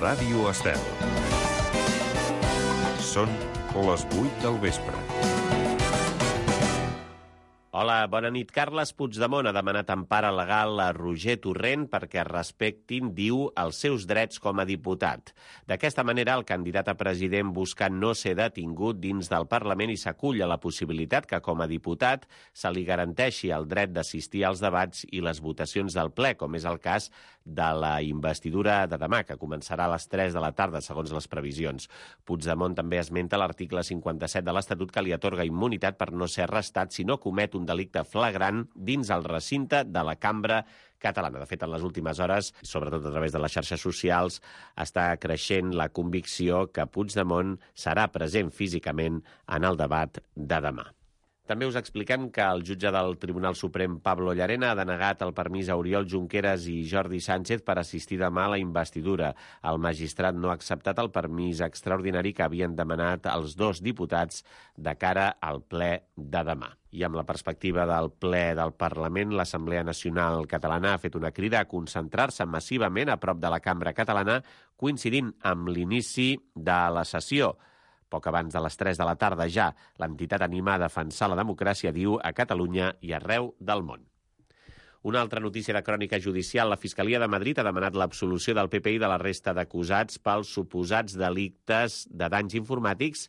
Ràdio Estel. Són les 8 del vespre. Hola, bona nit. Carles Puigdemont ha demanat empara legal a Roger Torrent perquè respectin, diu, els seus drets com a diputat. D'aquesta manera, el candidat a president busca no ser detingut dins del Parlament i s'acull a la possibilitat que, com a diputat, se li garanteixi el dret d'assistir als debats i les votacions del ple, com és el cas de la investidura de demà, que començarà a les 3 de la tarda, segons les previsions. Puigdemont també esmenta l'article 57 de l'Estatut que li atorga immunitat per no ser arrestat si no comet un delicte flagrant dins el recinte de la cambra catalana. De fet, en les últimes hores, sobretot a través de les xarxes socials, està creixent la convicció que Puigdemont serà present físicament en el debat de demà. També us expliquem que el jutge del Tribunal Suprem, Pablo Llarena, ha denegat el permís a Oriol Junqueras i Jordi Sánchez per assistir demà a la investidura. El magistrat no ha acceptat el permís extraordinari que havien demanat els dos diputats de cara al ple de demà. I amb la perspectiva del ple del Parlament, l'Assemblea Nacional Catalana ha fet una crida a concentrar-se massivament a prop de la cambra catalana, coincidint amb l'inici de la sessió. Poc abans de les 3 de la tarda ja, l'entitat anima a defensar la democràcia, diu, a Catalunya i arreu del món. Una altra notícia de crònica judicial. La Fiscalia de Madrid ha demanat l'absolució del PP i de la resta d'acusats pels suposats delictes de danys informàtics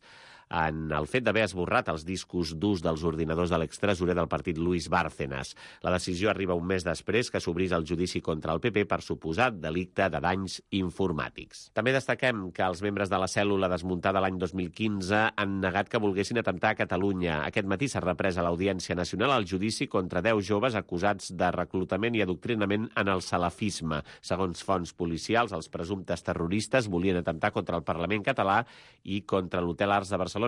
en el fet d'haver esborrat els discos durs dels ordinadors de l'extresorer del partit Luis Bárcenas. La decisió arriba un mes després que s'obrís el judici contra el PP per suposat delicte de danys informàtics. També destaquem que els membres de la cèl·lula desmuntada l'any 2015 han negat que volguessin atemptar a Catalunya. Aquest matí s'ha reprès a l'Audiència Nacional el judici contra 10 joves acusats de reclutament i adoctrinament en el salafisme. Segons fonts policials, els presumptes terroristes volien atemptar contra el Parlament català i contra l'Hotel Arts de Barcelona,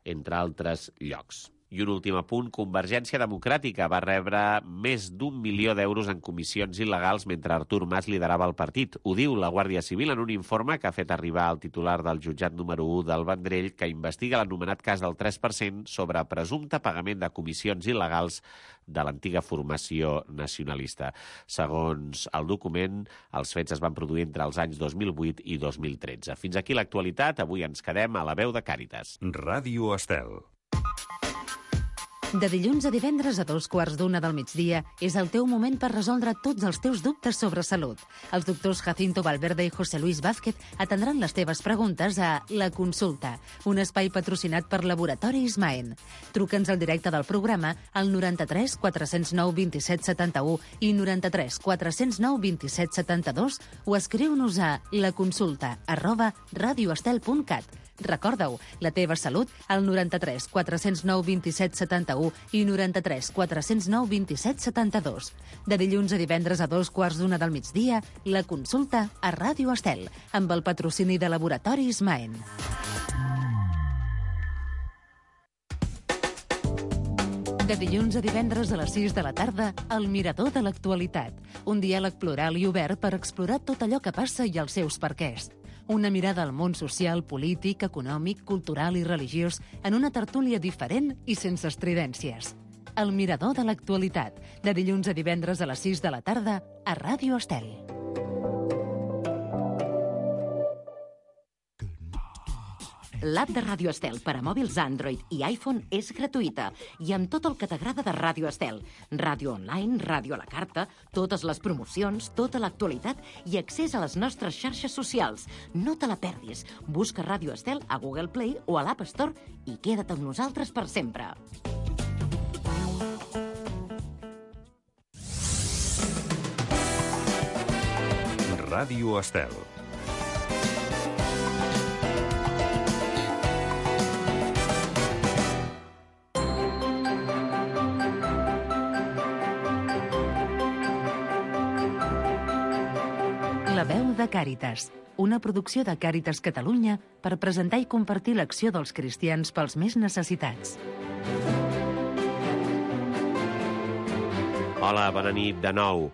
entre altres llocs. I un últim apunt, Convergència Democràtica va rebre més d'1 milió d'euros en comissions il·legals mentre Artur Mas liderava el partit. Ho diu la Guàrdia Civil en un informe que ha fet arribar al titular del jutjat número 1 del Vendrell, que investiga l'anomenat cas del 3% sobre presumpte pagament de comissions il·legals de l'antiga formació nacionalista. Segons el document, els fets es van produir entre els anys 2008 i 2013. Fins aquí l'actualitat. Avui ens quedem a la veu de Càritas. Ràdio Estel. De dilluns a divendres a 2:15 del migdia és el teu moment per resoldre tots els teus dubtes sobre salut. Els doctors Jacinto Valverde i José Luis Vázquez atendran les teves preguntes a La Consulta, un espai patrocinat per Laboratoris Maen. Truca'ns al directe del programa al 93 409 27 71 i 93 409 27 72 o escriu-nos a laconsulta@radioestel.cat. Recorda-ho, la teva salut al 93 409 27 71 i 93 409 27 72. De dilluns a divendres a 2:15 del migdia, La Consulta a Ràdio Estel, amb el patrocini de Laboratoris Maen. De dilluns a divendres a les 6 de la tarda, El Mirador de l'Actualitat, un diàleg plural i obert per explorar tot allò que passa i els seus perquès. Una mirada al món social, polític, econòmic, cultural i religiós en una tertúlia diferent i sense estridències. El Mirador de l'Actualitat, de dilluns a divendres a les 6 de la tarda a Ràdio Estel. L'app de Ràdio Estel per a mòbils Android i iPhone és gratuïta i amb tot el que t'agrada de Ràdio Estel. Ràdio online, ràdio a la carta, totes les promocions, tota l'actualitat i accés a les nostres xarxes socials. No te la perdis. Busca Ràdio Estel a Google Play o a l'App Store i queda't amb nosaltres per sempre. Ràdio Estel. La veu de Càritas, una producció de Càritas Catalunya per presentar i compartir l'acció dels cristians pels més necessitats. Hola, bona nit de nou.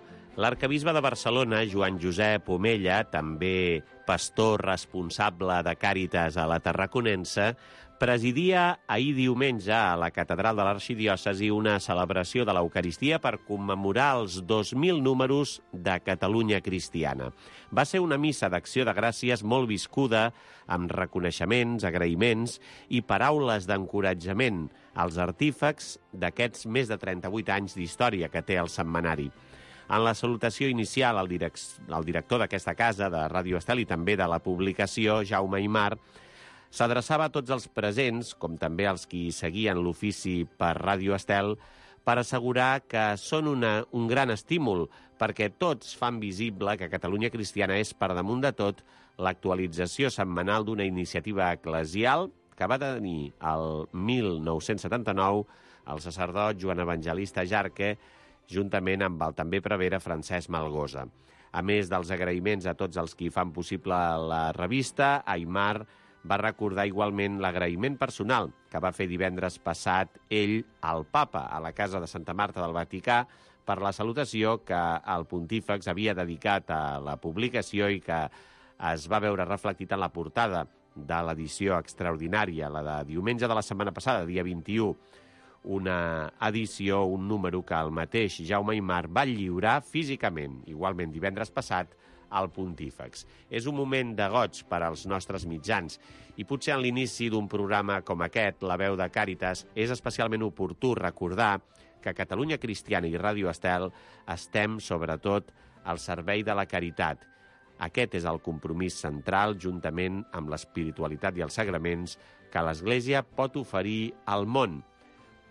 L'arquebisbe de Barcelona, Joan Josep Omella, també pastor responsable de Càritas a la Tarraconense, Presidia ahir diumenge a la Catedral de l'Arxidiòcesi una celebració de l'Eucaristia per commemorar els 2.000 números de Catalunya Cristiana. Va ser una missa d'acció de gràcies molt viscuda, amb reconeixements, agraïments i paraules d'encoratjament als artífecs d'aquests més de 38 anys d'història que té el setmanari. En la salutació inicial, el director d'aquesta casa, de Ràdio Estel i també de la publicació, Jaume Aymar, s'adreçava a tots els presents, com també als qui seguien l'ofici per Ràdio Estel, per assegurar que són un gran estímul, perquè tots fan visible que Catalunya Cristiana és, per damunt de tot, l'actualització setmanal d'una iniciativa eclesial que va tenir el 1979 el sacerdot Joan Evangelista Jarque, juntament amb el també prevere Francesc Malgosa. A més dels agraïments a tots els qui fan possible la revista, Aymar va recordar igualment l'agraïment personal que va fer divendres passat ell al papa a la Casa de Santa Marta del Vaticà per la salutació que el pontífex havia dedicat a la publicació i que es va veure reflectit en la portada de l'edició extraordinària, la de diumenge de la setmana passada, dia 21, una edició, un número que el mateix Jaume Aymar va lliurar físicament, igualment divendres passat, al pontífex. És un moment de goig per als nostres mitjans i potser en l'inici d'un programa com aquest, La veu de Càritas, és especialment oportú recordar que Catalunya Cristiana i Ràdio Estel estem, sobretot, al servei de la caritat. Aquest és el compromís central, juntament amb l'espiritualitat i els sagraments, que l'Església pot oferir al món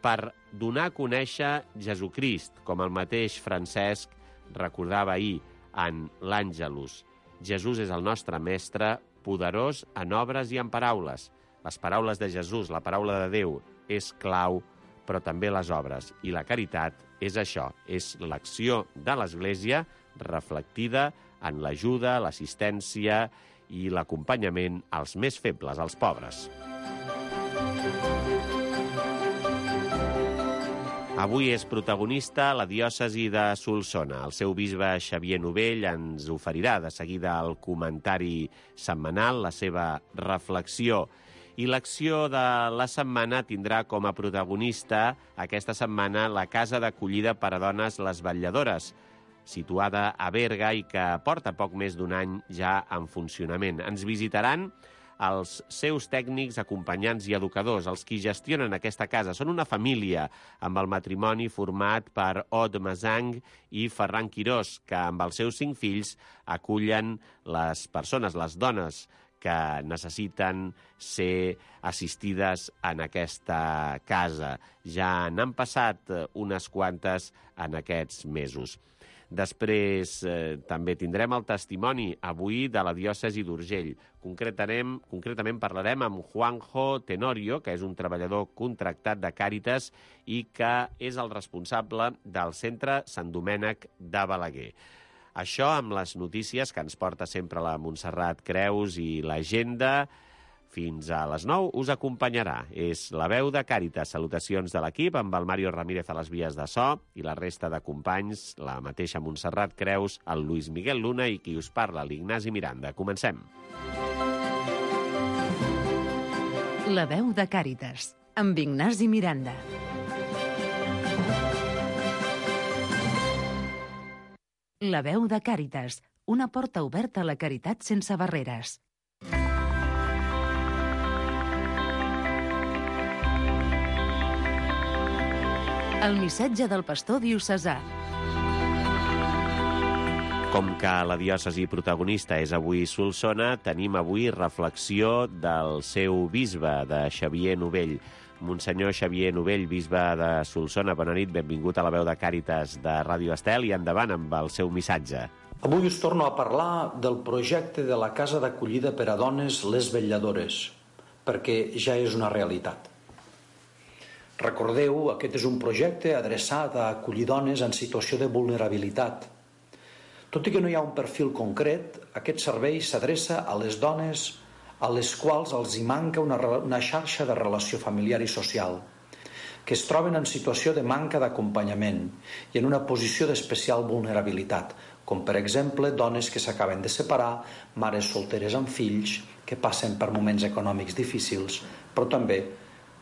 per donar a conèixer Jesucrist, com el mateix Francesc recordava ahir en l'Àngelus. Jesús és el nostre mestre, poderós en obres i en paraules. Les paraules de Jesús, la paraula de Déu, és clau, però també les obres. I la caritat és això, és l'acció de l'Església reflectida en l'ajuda, l'assistència i l'acompanyament als més febles, als pobres. Avui és protagonista la diòcesi de Solsona. El seu bisbe Xavier Novell ens oferirà de seguida el comentari setmanal, la seva reflexió. I l'acció de la setmana tindrà com a protagonista aquesta setmana la Casa d'Acollida per a Dones Les Vetlladores, situada a Berga i que porta poc més d'un any ja en funcionament. Ens visitaran els seus tècnics, acompanyants i educadors, els qui gestionen aquesta casa. Són una família amb el matrimoni format per Od Masang i Ferran Quirós, que amb els seus 5 fills acullen les persones, les dones que necessiten ser assistides en aquesta casa. Ja n'han passat unes quantes en aquests mesos. Després també tindrem el testimoni avui de la diòcesi d'Urgell. Concretament parlarem amb Juanjo Tenorio, que és un treballador contractat de Càritas i que és el responsable del centre Sant Domènec de Balaguer. Això amb les notícies que ens porta sempre la Montserrat Creus i l'agenda. Fins a les 9 us acompanyarà. És la veu de Càritas. Salutacions de l'equip amb el Mario Ramírez a les vies de so i la resta de companys, la mateixa Montserrat Creus, el Luis Miguel Luna i qui us parla, l'Ignasi Miranda. Comencem. La veu de Càritas, amb Ignasi Miranda. La veu de Càritas, una porta oberta a la caritat sense barreres. El missatge del pastor diocesà. Com que la diòcesi protagonista és avui Solsona, tenim avui reflexió del seu bisbe, de Xavier Novell. Monsenyor Xavier Novell, bisbe de Solsona, bona nit, benvingut a la veu de Càritas de Ràdio Estel i endavant amb el seu missatge. Avui us torno a parlar del projecte de la Casa d'Acollida per a Dones Les Vetlladores, perquè ja és una realitat. Recordeu, aquest és un projecte adreçat a acollir dones en situació de vulnerabilitat. Tot i que no hi ha un perfil concret, aquest servei s'adreça a les dones a les quals els hi manca una xarxa de relació familiar i social, que es troben en situació de manca d'acompanyament i en una posició d'especial vulnerabilitat, com per exemple dones que s'acaben de separar, mares solteres amb fills, que passen per moments econòmics difícils, però també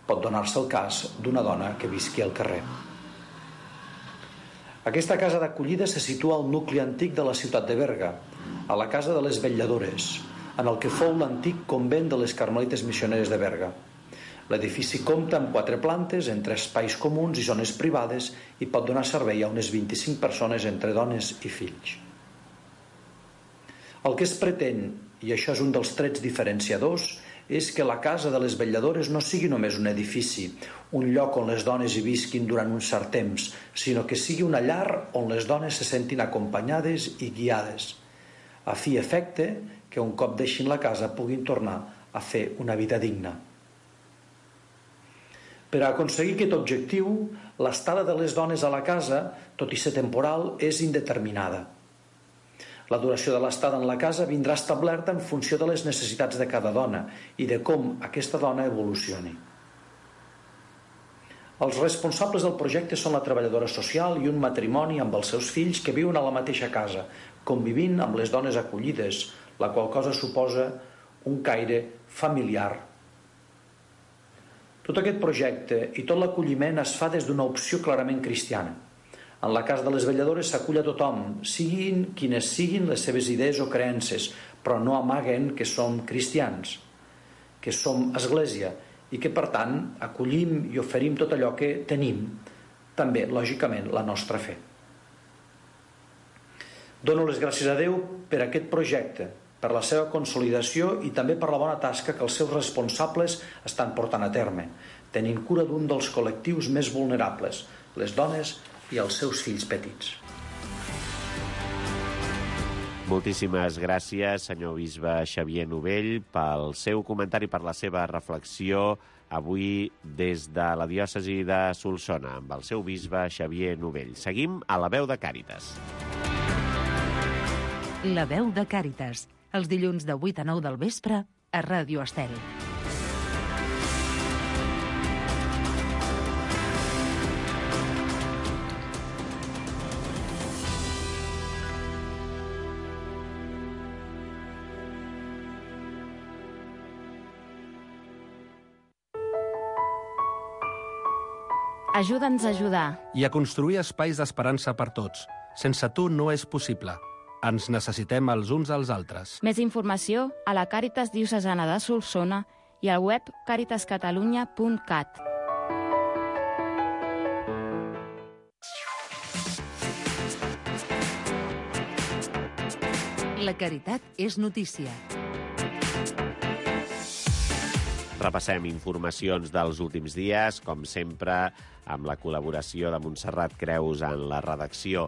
pot donar-se el cas d'una dona que visqui al carrer. Aquesta casa d'acollida se situa al nucli antic de la ciutat de Berga, a la casa de les Vetlladores, en el que fou l'antic convent de les Carmelites Missioneres de Berga. L'edifici compta amb 4 plantes, entre espais comuns i zones privades, i pot donar servei a unes 25 persones entre dones i fills. El que es pretén, i això és un dels trets diferenciadors, és que la casa de les Vetlladores no sigui només un edifici, un lloc on les dones hi visquin durant un cert temps, sinó que sigui una llar on les dones se sentin acompanyades i guiades, a fi i efecte que un cop deixin la casa puguin tornar a fer una vida digna. Per a aconseguir aquest objectiu, l'estada de les dones a la casa, tot i ser temporal, és indeterminada. La duració de l'estada en la casa vindrà establerta en funció de les necessitats de cada dona i de com aquesta dona evolucioni. Els responsables del projecte són la treballadora social i un matrimoni amb els seus fills que viuen a la mateixa casa, convivint amb les dones acollides, la qual cosa suposa un caire familiar. Tot aquest projecte i tot l'acolliment es fa des d'una opció clarament cristiana. En la casa de les Vetlladores s'acull a tothom, siguin quines siguin les seves idees o creences, però no amaguen que som cristians, que som església i que, per tant, acollim i oferim tot allò que tenim, també, lògicament, la nostra fe. Dono les gràcies a Déu per aquest projecte, per la seva consolidació i també per la bona tasca que els seus responsables estan portant a terme, tenint cura d'un dels col·lectius més vulnerables, les dones i els seus fills petits. Moltíssimes gràcies, senyor bisbe Xavier Novell, pel seu comentari, per la seva reflexió avui des de la diòcesi de Solsona, amb el seu bisbe Xavier Novell. Seguim a La Veu de Càritas. La Veu de Càritas, els dilluns de 8 a 9 del vespre a Ràdio Estel. Ajuda'ns a ajudar. I a construir espais d'esperança per tots. Sense tu no és possible. Ens necessitem els uns als altres. Més informació a la Càritas Diocesana de Solsona i al web caritascatalunya.cat. La caritat és notícia. Repassem informacions dels últims dies, com sempre, amb la col·laboració de Montserrat Creus en la redacció.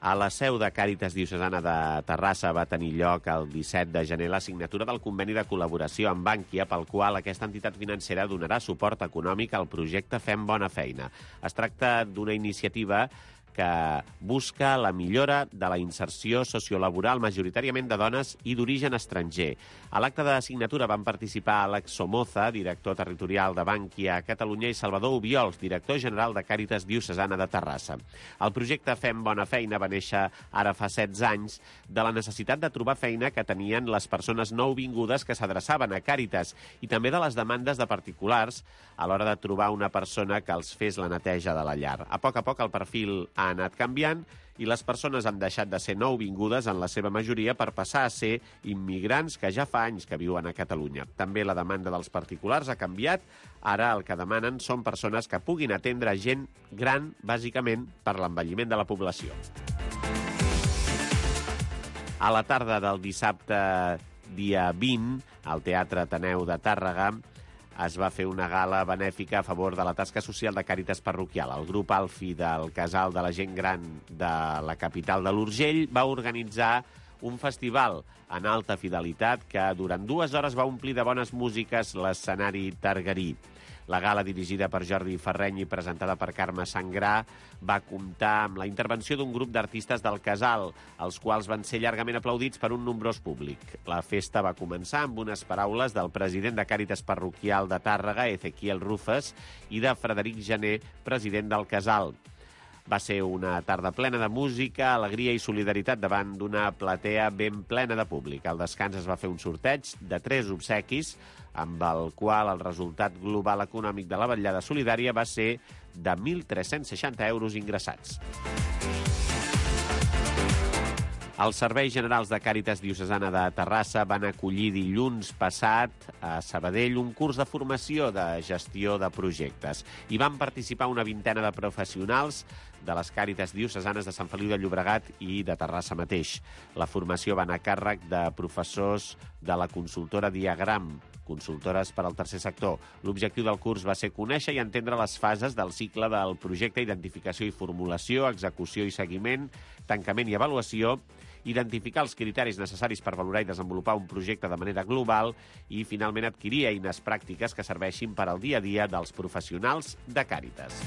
A la seu de Càritas Diocesana de Terrassa va tenir lloc el 17 de gener la signatura del conveni de col·laboració amb Bankia, pel qual aquesta entitat financera donarà suport econòmic al projecte Fem Bona Feina. Es tracta d'una iniciativa que busca la millora de la inserció sociolaboral majoritàriament de dones i d'origen estranger. A l'acte de signatura van participar Àlex Somoza, director territorial de Bankia a Catalunya, i Salvador Obiols, director general de Càritas Diocesana de Terrassa. El projecte Fem Bona Feina va néixer ara fa 16 anys de la necessitat de trobar feina que tenien les persones nouvingudes que s'adreçaven a Càritas i també de les demandes de particulars a l'hora de trobar una persona que els fes la neteja de la llar. A poc el perfil ha anat canviant i les persones han deixat de ser nouvingudes en la seva majoria per passar a ser immigrants que ja fa anys que viuen a Catalunya. També la demanda dels particulars ha canviat. Ara el que demanen són persones que puguin atendre gent gran, bàsicament per l'envelliment de la població. A la tarda del dissabte, dia 20, al Teatre Ateneu de Tàrrega, es va fer una gala benèfica a favor de la tasca social de Càritas Parroquial. El grup Alfi del Casal de la Gent Gran de la capital de l'Urgell va organitzar un festival en alta fidelitat que durant 2 hores va omplir de bones músiques l'escenari targarí. La gala, dirigida per Jordi Ferreny i presentada per Carme Sangrà, va comptar amb la intervenció d'un grup d'artistes del Casal, els quals van ser llargament aplaudits per un nombrós públic. La festa va començar amb unes paraules del president de Càritas Parroquial de Tàrrega, Ezequiel Rufes, i de Frederic Jané, president del Casal. Va ser una tarda plena de música, alegria i solidaritat davant d'una platea ben plena de públic. Al descans es va fer un sorteig de 3 obsequis, amb el qual el resultat global econòmic de la vetllada solidària va ser de 1.360 euros ingressats. Els serveis generals de Càritas Diocesana de Terrassa van acollir dilluns passat a Sabadell un curs de formació de gestió de projectes. Hi van participar una vintena de professionals de les Càritas Diocesanes de Sant Feliu de Llobregat i de Terrassa mateix. La formació va anar a càrrec de professors de la consultora Diagram, consultores per al tercer sector. L'objectiu del curs va ser conèixer i entendre les fases del cicle del projecte, identificació i formulació, execució i seguiment, tancament i avaluació, identificar els criteris necessaris per valorar i desenvolupar un projecte de manera global i, finalment, adquirir eines pràctiques que serveixin per al dia a dia dels professionals de Càritas.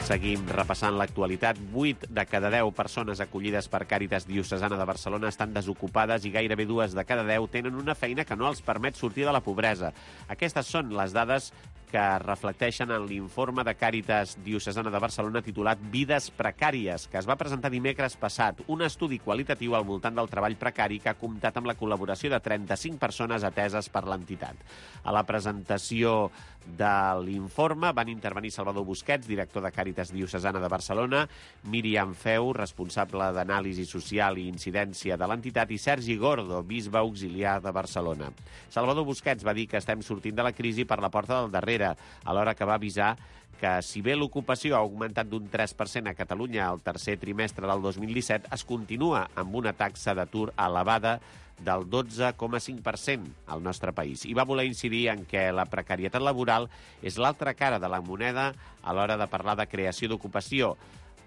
Seguim repassant l'actualitat. 8 de cada 10 persones acollides per Càritas Diocesana de Barcelona estan desocupades i gairebé 2 de cada 10 tenen una feina que no els permet sortir de la pobresa. Aquestes són les dades que reflecteixen en l'informe de Càritas Diocesana de Barcelona titulat Vides precàries, que es va presentar dimecres passat, un estudi qualitatiu al voltant del treball precari que ha comptat amb la col·laboració de 35 persones ateses per l'entitat. A la presentació de l'informe van intervenir Salvador Busquets, director de Càritas Diocesana de Barcelona, Míriam Feu, responsable d'anàlisi social i incidència de l'entitat, i Sergi Gordo, bisbe auxiliar de Barcelona. Salvador Busquets va dir que estem sortint de la crisi per la porta del darrere, alhora que va avisar que si bé l'ocupació ha augmentat d'un 3% a Catalunya al tercer trimestre del 2017, es continua amb una taxa d'atur elevada del 12,5% al nostre país. I va voler incidir en què la precarietat laboral és l'altra cara de la moneda a l'hora de parlar de creació d'ocupació,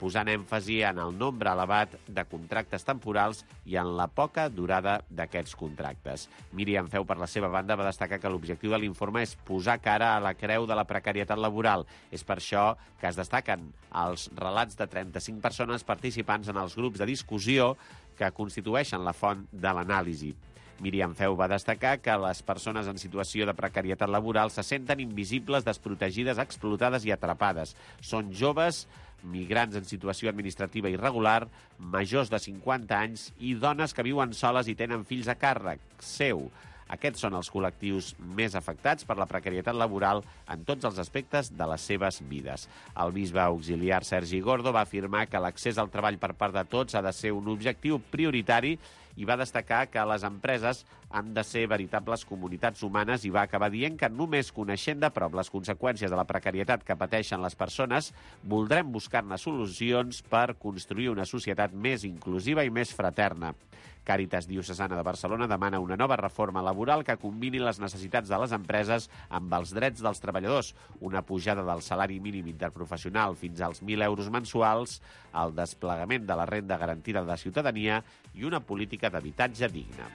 posant èmfasi en el nombre elevat de contractes temporals i en la poca durada d'aquests contractes. Míriam Feu, per la seva banda, va destacar que l'objectiu de l'informe és posar cara a la creu de la precarietat laboral. És per això que es destaquen els relats de 35 persones participants en els grups de discussió que constitueixen la font de l'anàlisi. Míriam Feu va destacar que les persones en situació de precarietat laboral se senten invisibles, desprotegides, explotades i atrapades. Són joves, migrants en situació administrativa irregular, majors de 50 anys i dones que viuen soles i tenen fills a càrrec seu. Aquests són els col·lectius més afectats per la precarietat laboral en tots els aspectes de les seves vides. El bisbe auxiliar Sergi Gordo va afirmar que l'accés al treball per part de tots ha de ser un objectiu prioritari i va destacar que les empreses han de ser veritables comunitats humanes i va acabar dient que només coneixent de prop les conseqüències de la precarietat que pateixen les persones, voldrem buscar-ne solucions per construir una societat més inclusiva i més fraterna. Càritas Diocesana de Barcelona demana una nova reforma laboral que combini les necessitats de les empreses amb els drets dels treballadors, una pujada del salari mínim interprofessional fins als 1.000 euros mensuals, el desplegament de la renda garantida de ciutadania i una política d'habitatge digna.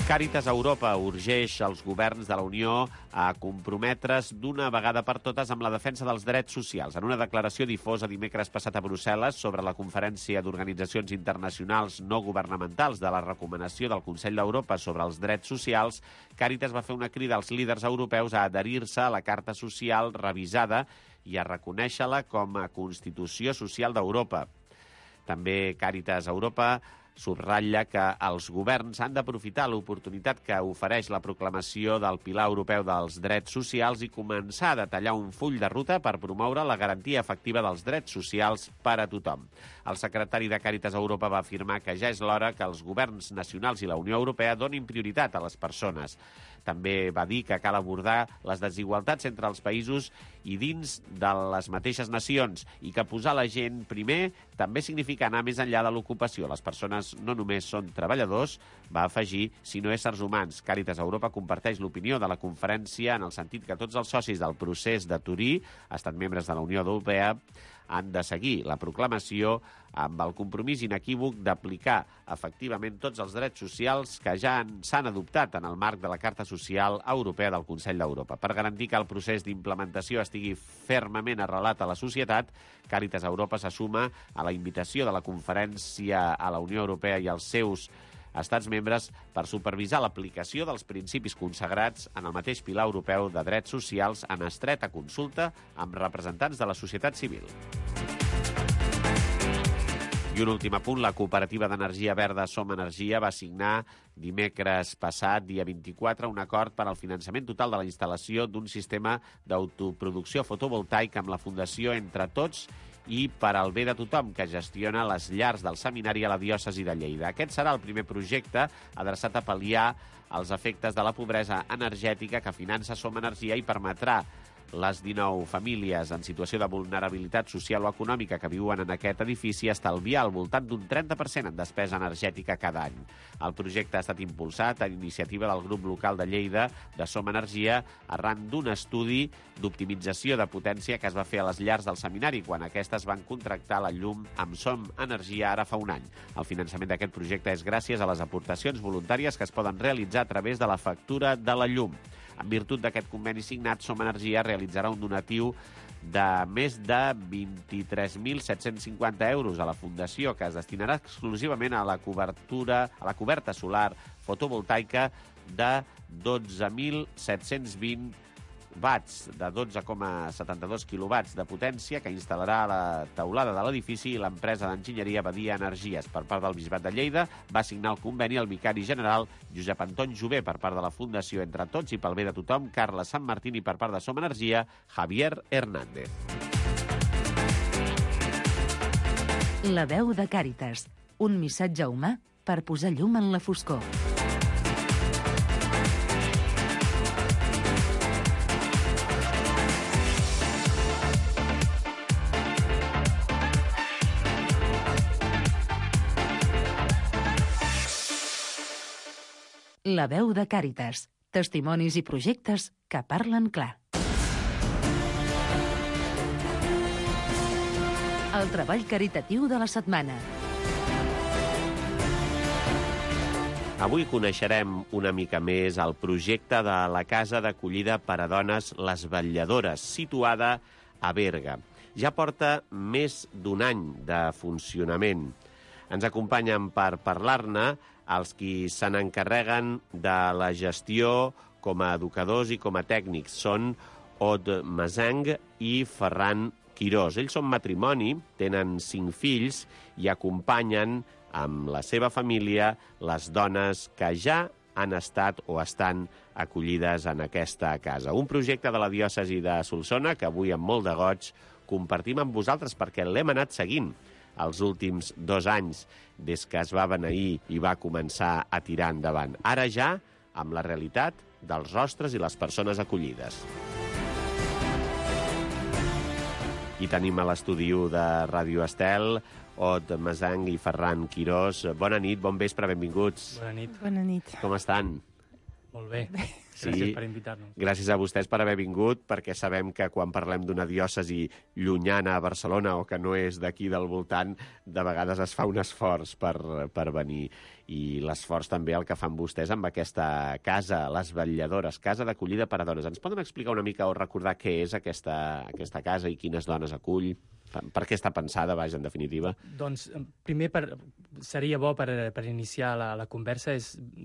Càritas Europa urgeix els governs de la Unió a comprometre's d'una vegada per totes amb la defensa dels drets socials. En una declaració difosa dimecres passat a Brussel·les sobre la Conferència d'Organitzacions Internacionals No Governamentals de la recomanació del Consell d'Europa sobre els drets socials, Càritas va fer una crida als líders europeus a adherir-se a la Carta Social revisada i a reconèixer-la com a Constitució Social d'Europa. També Càritas Europa subratlla que els governs han d'aprofitar l'oportunitat que ofereix la proclamació del Pilar Europeu dels Drets Socials i començar a detallar un full de ruta per promoure la garantia efectiva dels drets socials per a tothom. El secretari de Càritas Europa va afirmar que ja és l'hora que els governs nacionals i la Unió Europea donin prioritat a les persones. També va dir que cal abordar les desigualtats entre els països i dins de les mateixes nacions i que posar la gent primer també significa anar més enllà de l'ocupació. Les persones no només són treballadors, va afegir, sinó éssers humans. Càritas Europa comparteix l'opinió de la conferència en el sentit que tots els socis del procés de Turí, estan membres de la Unió Europea, han de seguir la proclamació amb el compromís inequívoc d'aplicar efectivament tots els drets socials que ja s'han adoptat en el marc de la Carta Social Europea del Consell d'Europa. Per garantir que el procés d'implementació estigui fermament arrelat a la societat, Càritas Europa s'assuma a la invitació de la conferència a la Unió Europea i als seus estats membres per supervisar l'aplicació dels principis consagrats en el mateix pilar europeu de drets socials en estreta consulta amb representants de la societat civil. I un últim apunt, la cooperativa d'energia verda Som Energia va signar dimecres passat, dia 24, un acord per al finançament total de la instal·lació d'un sistema d'autoproducció fotovoltaica amb la Fundació Entre Tots i per al bé de tothom, que gestiona les llars del seminari a la diòcesi de Lleida. Aquest serà el primer projecte adreçat a pal·liar els efectes de la pobresa energètica que finança Som Energia i permetrà les 19 famílies en situació de vulnerabilitat social o econòmica que viuen en aquest edifici estalviar al voltant d'un 30% en despesa energètica cada any. El projecte ha estat impulsat a iniciativa del grup local de Lleida de Som Energia arran d'un estudi d'optimització de potència que es va fer a les llars del seminari quan aquestes van contractar la llum amb Som Energia ara fa un any. El finançament d'aquest projecte és gràcies a les aportacions voluntàries que es poden realitzar a través de la factura de la llum. En virtut d'aquest conveni signat, Som Energia realitzarà un donatiu de més de 23.750 euros a la Fundació, que es destinarà exclusivament a la coberta solar fotovoltaica de 12.720 watts, de 12,72 quilowatts de potència, que instal·larà a la teulada de l'edifici, i l'empresa d'enginyeria Badia Energies. Per part del Bisbat de Lleida va signar el conveni el vicari general Josep Anton Jové per part de la Fundació Entre Tots i pel bé de tothom, Carles Sant Martín, i per part de Som Energia, Javier Hernández. La veu de Càritas, un missatge humà per posar llum en la foscor. La veu de Càritas. Testimonis i projectes que parlen clar. El treball caritatiu de la setmana. Avui coneixerem una mica més el projecte de la Casa d'Acollida per a Dones Les Vetlladores, situada a Berga. Ja porta més d'un any de funcionament. Ens acompanyen per parlar-ne els qui se n'encarreguen de la gestió com a educadors i com a tècnics. Són Od Mazang i Ferran Quirós. Ells són matrimoni, tenen 5 fills i acompanyen amb la seva família les dones que ja han estat o estan acollides en aquesta casa. Un projecte de la diòcesi de Solsona que avui amb molt de goig compartim amb vosaltres perquè l'hem anat seguint els últims 2 anys des que es va beneir i va començar a tirar endavant. Ara ja amb la realitat dels rostres i les persones acollides. I tenim a l'estudi de Ràdio Estel Od Mazang i Ferran Quirós. Bona nit, bon vespre, benvinguts. Bona nit. Bona nit. Com estan? Molt bé. Sí. Gràcies per invitar-nos. Gràcies a vostès per haver vingut, perquè sabem que quan parlem d'una diòcesi llunyana a Barcelona o que no és d'aquí del voltant, de vegades es fa un esforç per venir. I l'esforç també el que fan vostès amb aquesta casa, Les Vetlladores, Casa d'Acollida per a Dones. Ens poden explicar una mica o recordar què és aquesta casa i quines dones acull? Per què està pensada, vaja, en definitiva? Doncs, primer, seria bo per iniciar la conversa.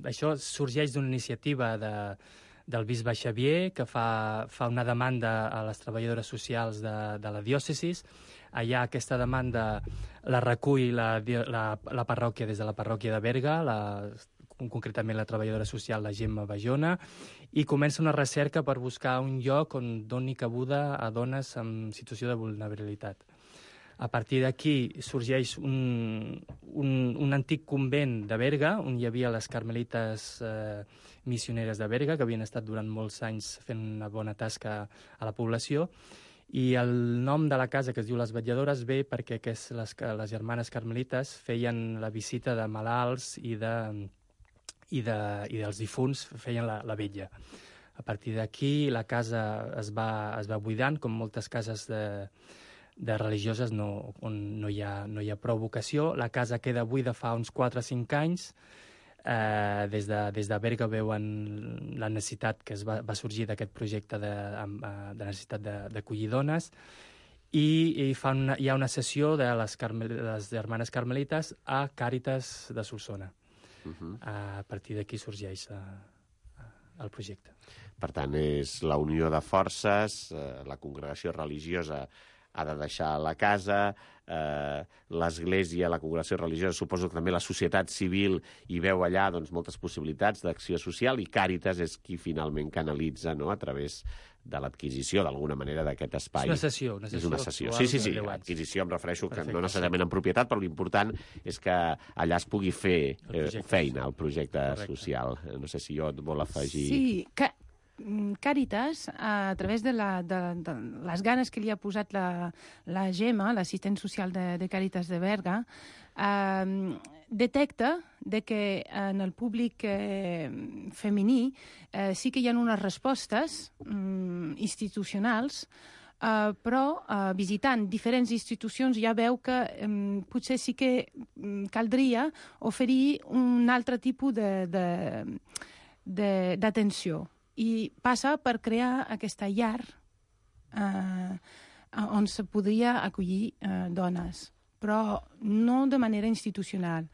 Això sorgeix d'una iniciativa del bisbe Xavier, que fa una demanda a les treballadores socials de la diòcesis. Allà aquesta demanda la recull la parròquia des de la parròquia de Berga, concretament la treballadora social, la Gemma Bajona, i comença una recerca per buscar un lloc on doni cabuda a dones en situació de vulnerabilitat. A partir d'aquí sorgeix un antic convent de Berga, on hi havia les carmelites missioneres de Berga, que havien estat durant molts anys fent una bona tasca a la població, i el nom de la casa, que es diu Les Vetlladores, ve perquè les germanes carmelites feien la visita de malalts i dels difunts, feien la vetlla. A partir d'aquí la casa es va buidant, com moltes cases de religioses on no hi ha prou vocació. La casa queda buida fa uns 4 o 5 anys. Des de Berga veuen la necessitat que va sorgir d'aquest projecte de necessitat d'acollir dones, i hi ha una sessió de les germanes carmelites a Càritas de Solsona. A partir d'aquí sorgeix el projecte. Per tant, és la unió de forces, la congregació religiosa ha de deixar la casa, l'Església, la congregació religiosa, suposo que també la societat civil hi veu allà doncs, moltes possibilitats d'acció social, i Càritas és qui finalment canalitza, no?, a través de l'adquisició, d'alguna manera, d'aquest espai. És una cessió. És una cessió. Sí, adquisició em refereixo que no necessàriament en propietat, però l'important és que allà es pugui fer feina, el projecte social. No sé si jo et vol afegir... Sí, Càritas, a través de les ganes que li ha posat la Gemma, l'assistent social de Càritas de Berga, detecta que en el públic femení sí que hi ha unes respostes institucionals, però visitant diferents institucions ja veu que potser sí que caldria oferir un altre tipus d'atenció. I passa per crear aquesta llar on se podria acollir dones, però no de manera institucional,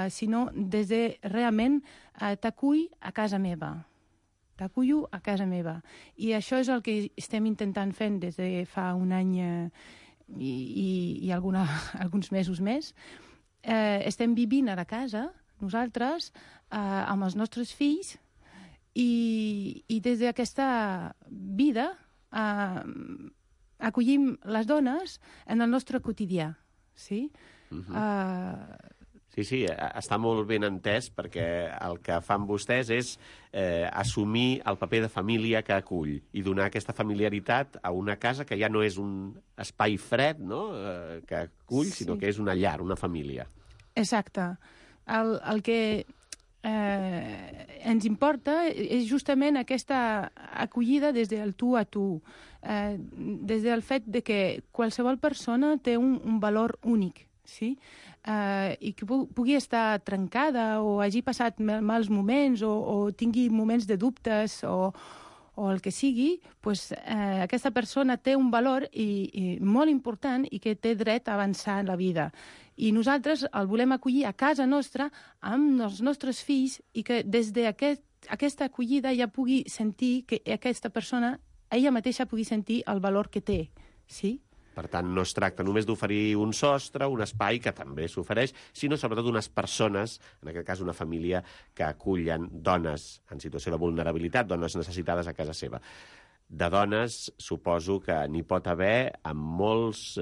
sinó des de realment t'acull a casa meva. T'acullo a casa meva. I això és el que estem intentant fent des de fa un any i alguns mesos més. Estem vivint a la casa, nosaltres, amb els nostres fills, i des d'aquesta vida acollim les dones en el nostre quotidià. Sí? Sí, està molt ben entès, perquè el que fan vostès és assumir el paper de família que acull i donar aquesta familiaritat a una casa que ja no és un espai fred, no?, que acull, sinó que és una llar, una família. Exacte. El que ens importa és justament aquesta acollida des del tu a tu, des del fet de que qualsevol persona té un valor únic, sí? I que pugui estar trencada o hagi passat mals moments o tingui moments de dubtes o el que sigui, pues, aquesta persona té un valor i molt important i que té dret a avançar en la vida. I nosaltres el volem acollir a casa nostra amb els nostres fills i que des d'aquesta acollida ja pugui sentir que aquesta persona, ella mateixa pugui sentir el valor que té, sí? Per tant, no es tracta només d'oferir un sostre, un espai, que també s'ofereix, sinó sobretot unes persones, en aquest cas una família, que acullen dones en situació de vulnerabilitat, dones necessitades a casa seva. De dones, suposo que n'hi pot haver amb molts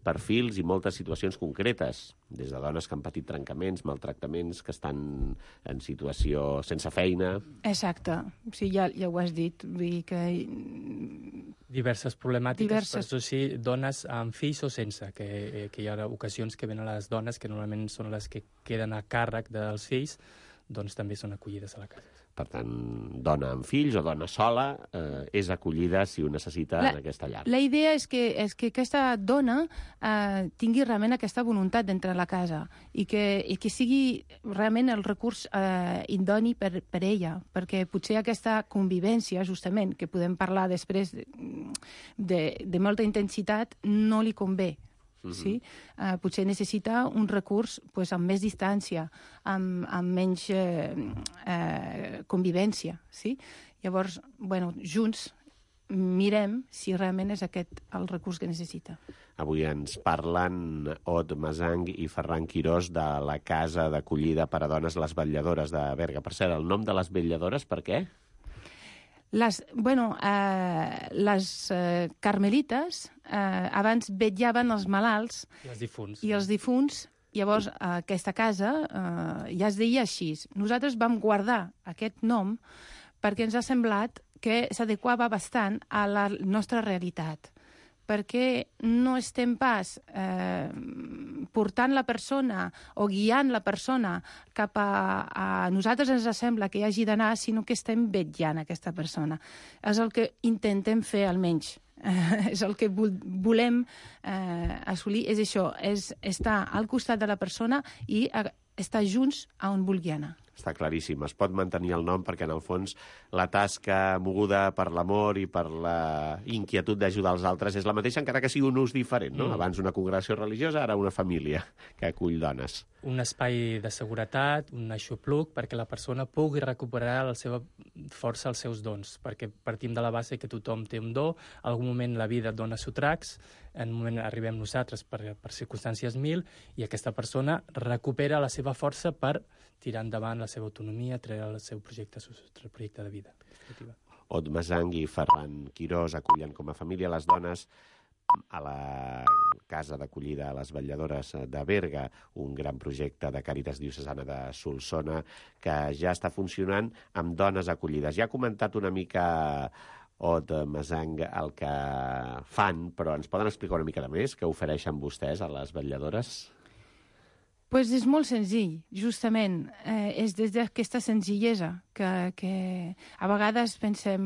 perfils i moltes situacions concretes, des de dones que han patit trencaments, maltractaments, que estan en situació sense feina... Exacte. Sí, ja ho has dit. Vull dir que... Diverses problemàtiques, per això sí, dones amb fills o sense, que hi ha ocasions que venen les dones, que normalment són les que queden a càrrec dels fills, doncs també són acollides a la casa. Per tant, dona amb fills o dona sola és acollida si ho necessita en aquesta llar. La idea és que aquesta dona tingui realment aquesta voluntat d'entrar a la casa i que sigui realment el recurs idoni per ella, perquè potser aquesta convivència, justament, que podem parlar després de molta intensitat, no li convé. Sí? Potser necessita un recurs amb més distància, amb menys convivència. Sí? Llavors, junts mirem si realment és aquest el recurs que necessita. Avui ens parlen Ot Masang i Ferran Quirós de la casa d'acollida per a dones, les Vetlladores de Berga. Per cert, el nom de les Vetlladores, per què? Les carmelites abans vetllaven els malalts i els difunts. Llavors, aquesta casa ja es deia així. Nosaltres vam guardar aquest nom perquè ens ha semblat que s'adequava bastant a la nostra realitat, perquè no estem pas portant la persona o guiant la persona cap a nosaltres ens sembla que hi hagi d'anar, sinó que estem vetllant aquesta persona. És el que intentem fer, almenys. És el que volem assolir, és això, és estar al costat de la persona i estar junts a on vulgui anar. Està claríssim. Es pot mantenir el nom perquè, en el fons, la tasca moguda per l'amor i per la inquietud d'ajudar els altres és la mateixa, encara que sigui un ús diferent, no? Abans una congregació religiosa, ara una família que acull dones. un espai de seguretat, un aixopluc, perquè la persona pugui recuperar la seva força, els seus dons, perquè partim de la base que tothom té un do, en algun moment la vida et dona sotracs, en un moment arribem nosaltres per circumstàncies 1000, i aquesta persona recupera la seva força per tirar endavant la seva autonomia, treure el seu projecte de vida. Ot Masang i Ferran Quirós acullen com a família les dones a la casa d'acollida a les vetlladores de Berga, un gran projecte de Càritas Diocesana de Solsona que ja està funcionant amb dones acollides. Ja ha comentat una mica Ot Masang el que fan, però ens poden explicar una mica de més què ofereixen vostès a les vetlladores? Pues és molt senzill, justament. És des d'aquesta senzillesa que a vegades pensem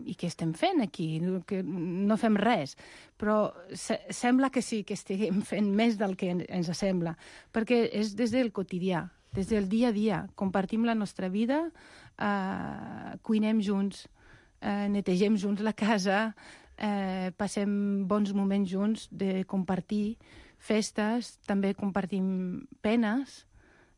i què estem fent aquí? Que no fem res. Però sembla que sí, que estiguem fent més del que ens sembla. Perquè és des del quotidià, des del dia a dia. Compartim la nostra vida, cuinem junts, netegem junts la casa, passem bons moments junts de compartir festes, també compartim penes.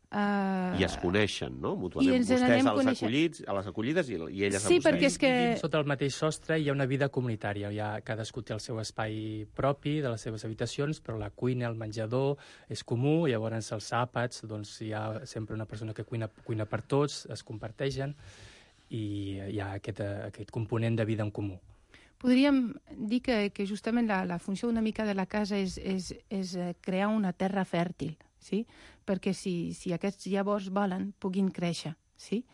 I es coneixen, no? Mútuament. Vostès a les acollides i elles a vostès. Sí, perquè és que... Sota el mateix sostre hi ha una vida comunitària. Cadascú té el seu espai propi de les seves habitacions, però la cuina, el menjador és comú, llavors els àpats, doncs hi ha sempre una persona que cuina per tots, es comparteixen, i hi ha aquest component de vida en comú. Podríem dir que justament la funció una mica de la casa és crear una terra fèrtil, sí? Perquè si aquests llavors volen, puguin créixer, sí?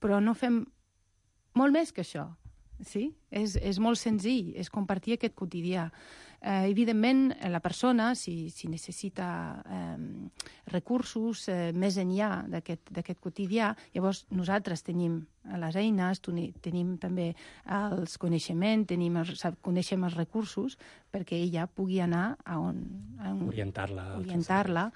Però no fem molt més que això, sí? És molt senzill, és compartir aquest quotidià. Evidentment, la persona, si necessita recursos més enllà d'aquest quotidià, llavors nosaltres tenim les eines, tenim també els coneixements, coneixem els recursos perquè ella pugui anar a on... Orientar-la,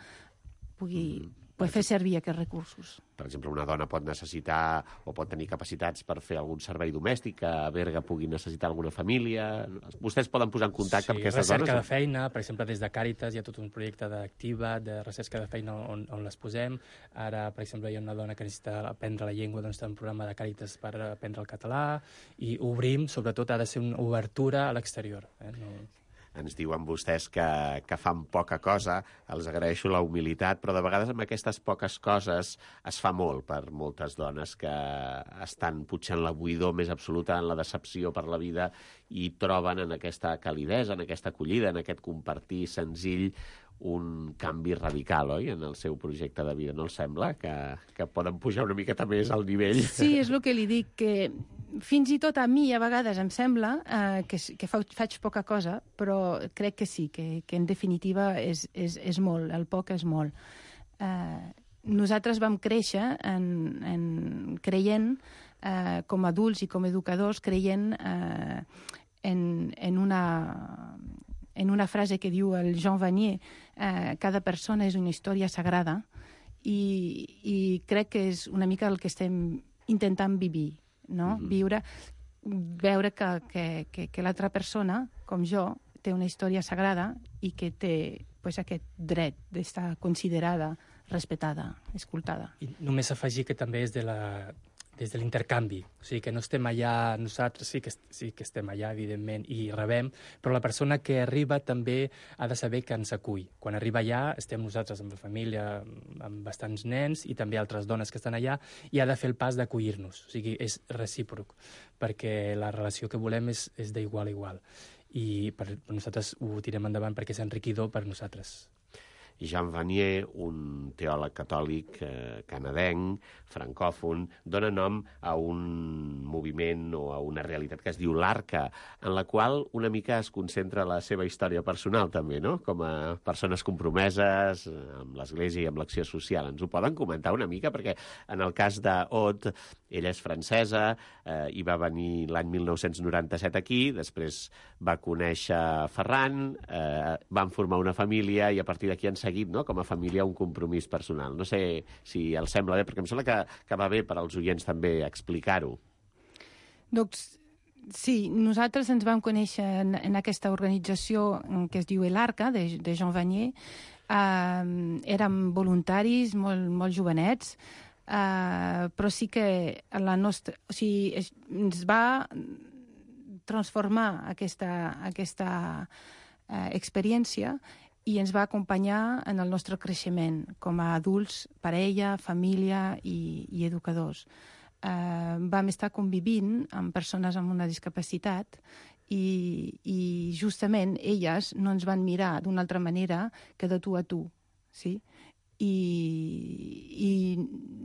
pugui fer servir aquests recursos. Per exemple, una dona pot necessitar o pot tenir capacitats per fer algun servei domèstic, que a Berga pugui necessitar alguna família. Vostès poden posar en contacte amb aquestes dones? Sí, recerca de feina, per exemple, des de Càritas hi ha tot un projecte d'activa, de recerca de feina on les posem. Ara, per exemple, hi ha una dona que necessita aprendre la llengua, doncs té un programa de Càritas per aprendre el català, i obrim, sobretot, ha de ser una obertura a l'exterior. Ens diuen vostès que fan poca cosa, els agraeixo la humilitat, però de vegades amb aquestes poques coses es fa molt per moltes dones que estan potser en la buidor més absoluta, en la decepció per la vida, i troben en aquesta calidesa, en aquesta acollida, en aquest compartir senzill, un canvi radical, oi?, en el seu projecte de vida. No els sembla que poden pujar una miqueta més al nivell? Sí, és el que li dic, que fins i tot a mi a vegades em sembla que faig poca cosa, però crec que sí, que en definitiva és molt, el poc és molt. Nosaltres vam créixer creient, com a adults i com a educadors, creient en una frase que diu el Jean Vanier, cada persona és una història sagrada, i crec que és una mica el que estem intentant viure, no? Veure que l'altra persona, com jo, té una història sagrada i que té aquest dret d'estar considerada, respetada, escoltada. I només afegir que també és des de l'intercanvi, o sigui que no estem allà, nosaltres sí que estem allà, evidentment, i rebem, però la persona que arriba també ha de saber que ens acull. Quan arriba allà, estem nosaltres amb la família, amb bastants nens, i també altres dones que estan allà, i ha de fer el pas d'acollir-nos, o sigui, és recíproc, perquè la relació que volem és d'igual a igual, i per nosaltres ho tirem endavant perquè és enriquidor per nosaltres. Jean Vanier, un teòleg catòlic canadenc, francòfon, dona nom a un moviment o a una realitat que es diu l'Arca, en la qual una mica es concentra la seva història personal també, no? Com a persones compromeses amb l'Església i amb l'acció social. Ens ho poden comentar una mica? Perquè en el cas d'Ot, ella és francesa, i va venir l'any 1997 aquí, després va conèixer Ferran, van formar una família i a partir d'aquí han seguit, no?, com a família, un compromís personal. No sé si els sembla bé, perquè em sembla que va bé per als oients també explicar-ho. Doncs sí, nosaltres ens vam conèixer en aquesta organització que es diu l'Arca, de Jean Vanier, Érem voluntaris, molt jovenets, però sí que la nostra... O sigui, ens va transformar aquesta experiència i ens va acompanyar en el nostre creixement com a adults, parella, família i educadors. Vam estar convivint amb persones amb una discapacitat i justament elles no ens van mirar d'una altra manera que de tu a tu, sí? I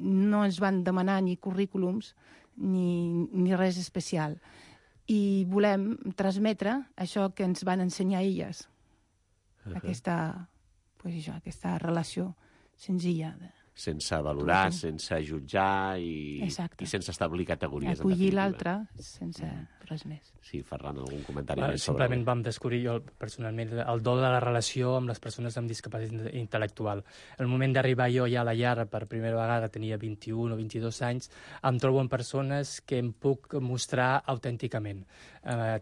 no ens van demanar ni currículums ni res especial. I volem transmetre això que ens van ensenyar elles, aquesta relació senzilla. Sense valorar, sense jutjar i sense establir categories. Acollir l'altre sense res més. Sí, Ferran, algun comentari més sobre... Simplement vam descobrir jo personalment el do de la relació amb les persones amb discapacitat intel·lectual. El moment d'arribar jo ja a la llar per primera vegada, tenia 21 o 22 anys, em trobo amb persones que em puc mostrar autènticament.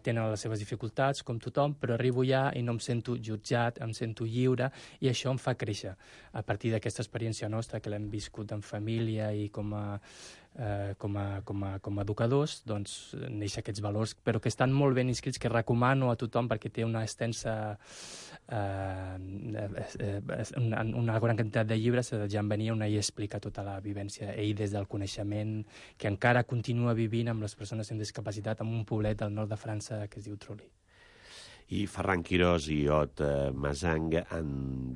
Tenen les seves dificultats, com tothom, però arribo ja i no em sento jutjat, em sento lliure, i això em fa créixer. A partir d'aquesta experiència nostra, que l'hem viscut en família i com a educadors, doncs neix aquests valors, però que estan molt ben inscrits, que recomano a tothom perquè té una extensa una gran quantitat de llibres. Jean Benyé hi explica tota la vivència, ell des del coneixement, que encara continua vivint amb les persones amb discapacitat en un poblet del nord de França que es diu Trulli. I Ferran Quirós i Ot Masang han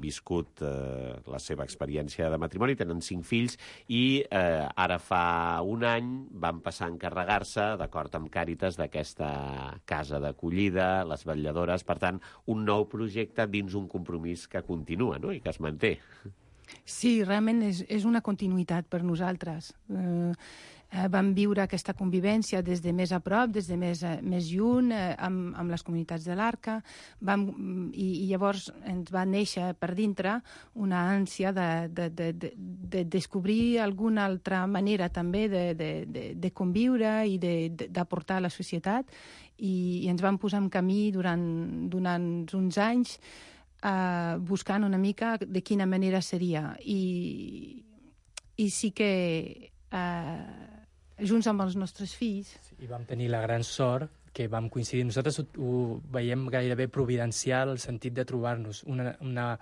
viscut la seva experiència de matrimoni, tenen 5 fills i ara fa un any van passar a encarregar-se, d'acord amb Càritas, d'aquesta casa d'acollida, les vetlladores, per tant, un nou projecte dins un compromís que continua, no?, i que es manté. Sí, realment és una continuïtat per nosaltres. Vam viure aquesta convivència des de més a prop, des de més lluny, amb les comunitats de l'Arca, i llavors ens va néixer per dintre una ànsia de descobrir alguna altra manera també de conviure i d'aportar a la societat, i ens vam posar en camí durant uns anys buscant una mica de quina manera seria. I sí que junts amb els nostres fills... I vam tenir la gran sort que vam coincidir. Nosaltres ho veiem gairebé providencial, el sentit de trobar-nos una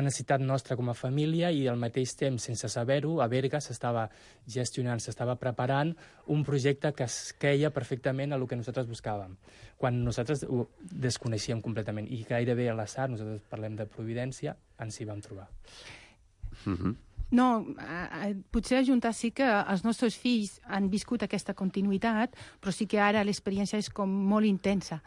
necessitat nostra com a família, i al mateix temps, sense saber-ho, a Berga s'estava gestionant, s'estava preparant un projecte que es queia perfectament a el que nosaltres buscàvem, quan nosaltres ho desconeixíem completament. I gairebé a l'atzar, nosaltres parlem de providència, ens hi vam trobar. No, potser ajuntar sí que els nostres fills han viscut aquesta continuïtat, però sí que ara l'experiència és com molt intensa,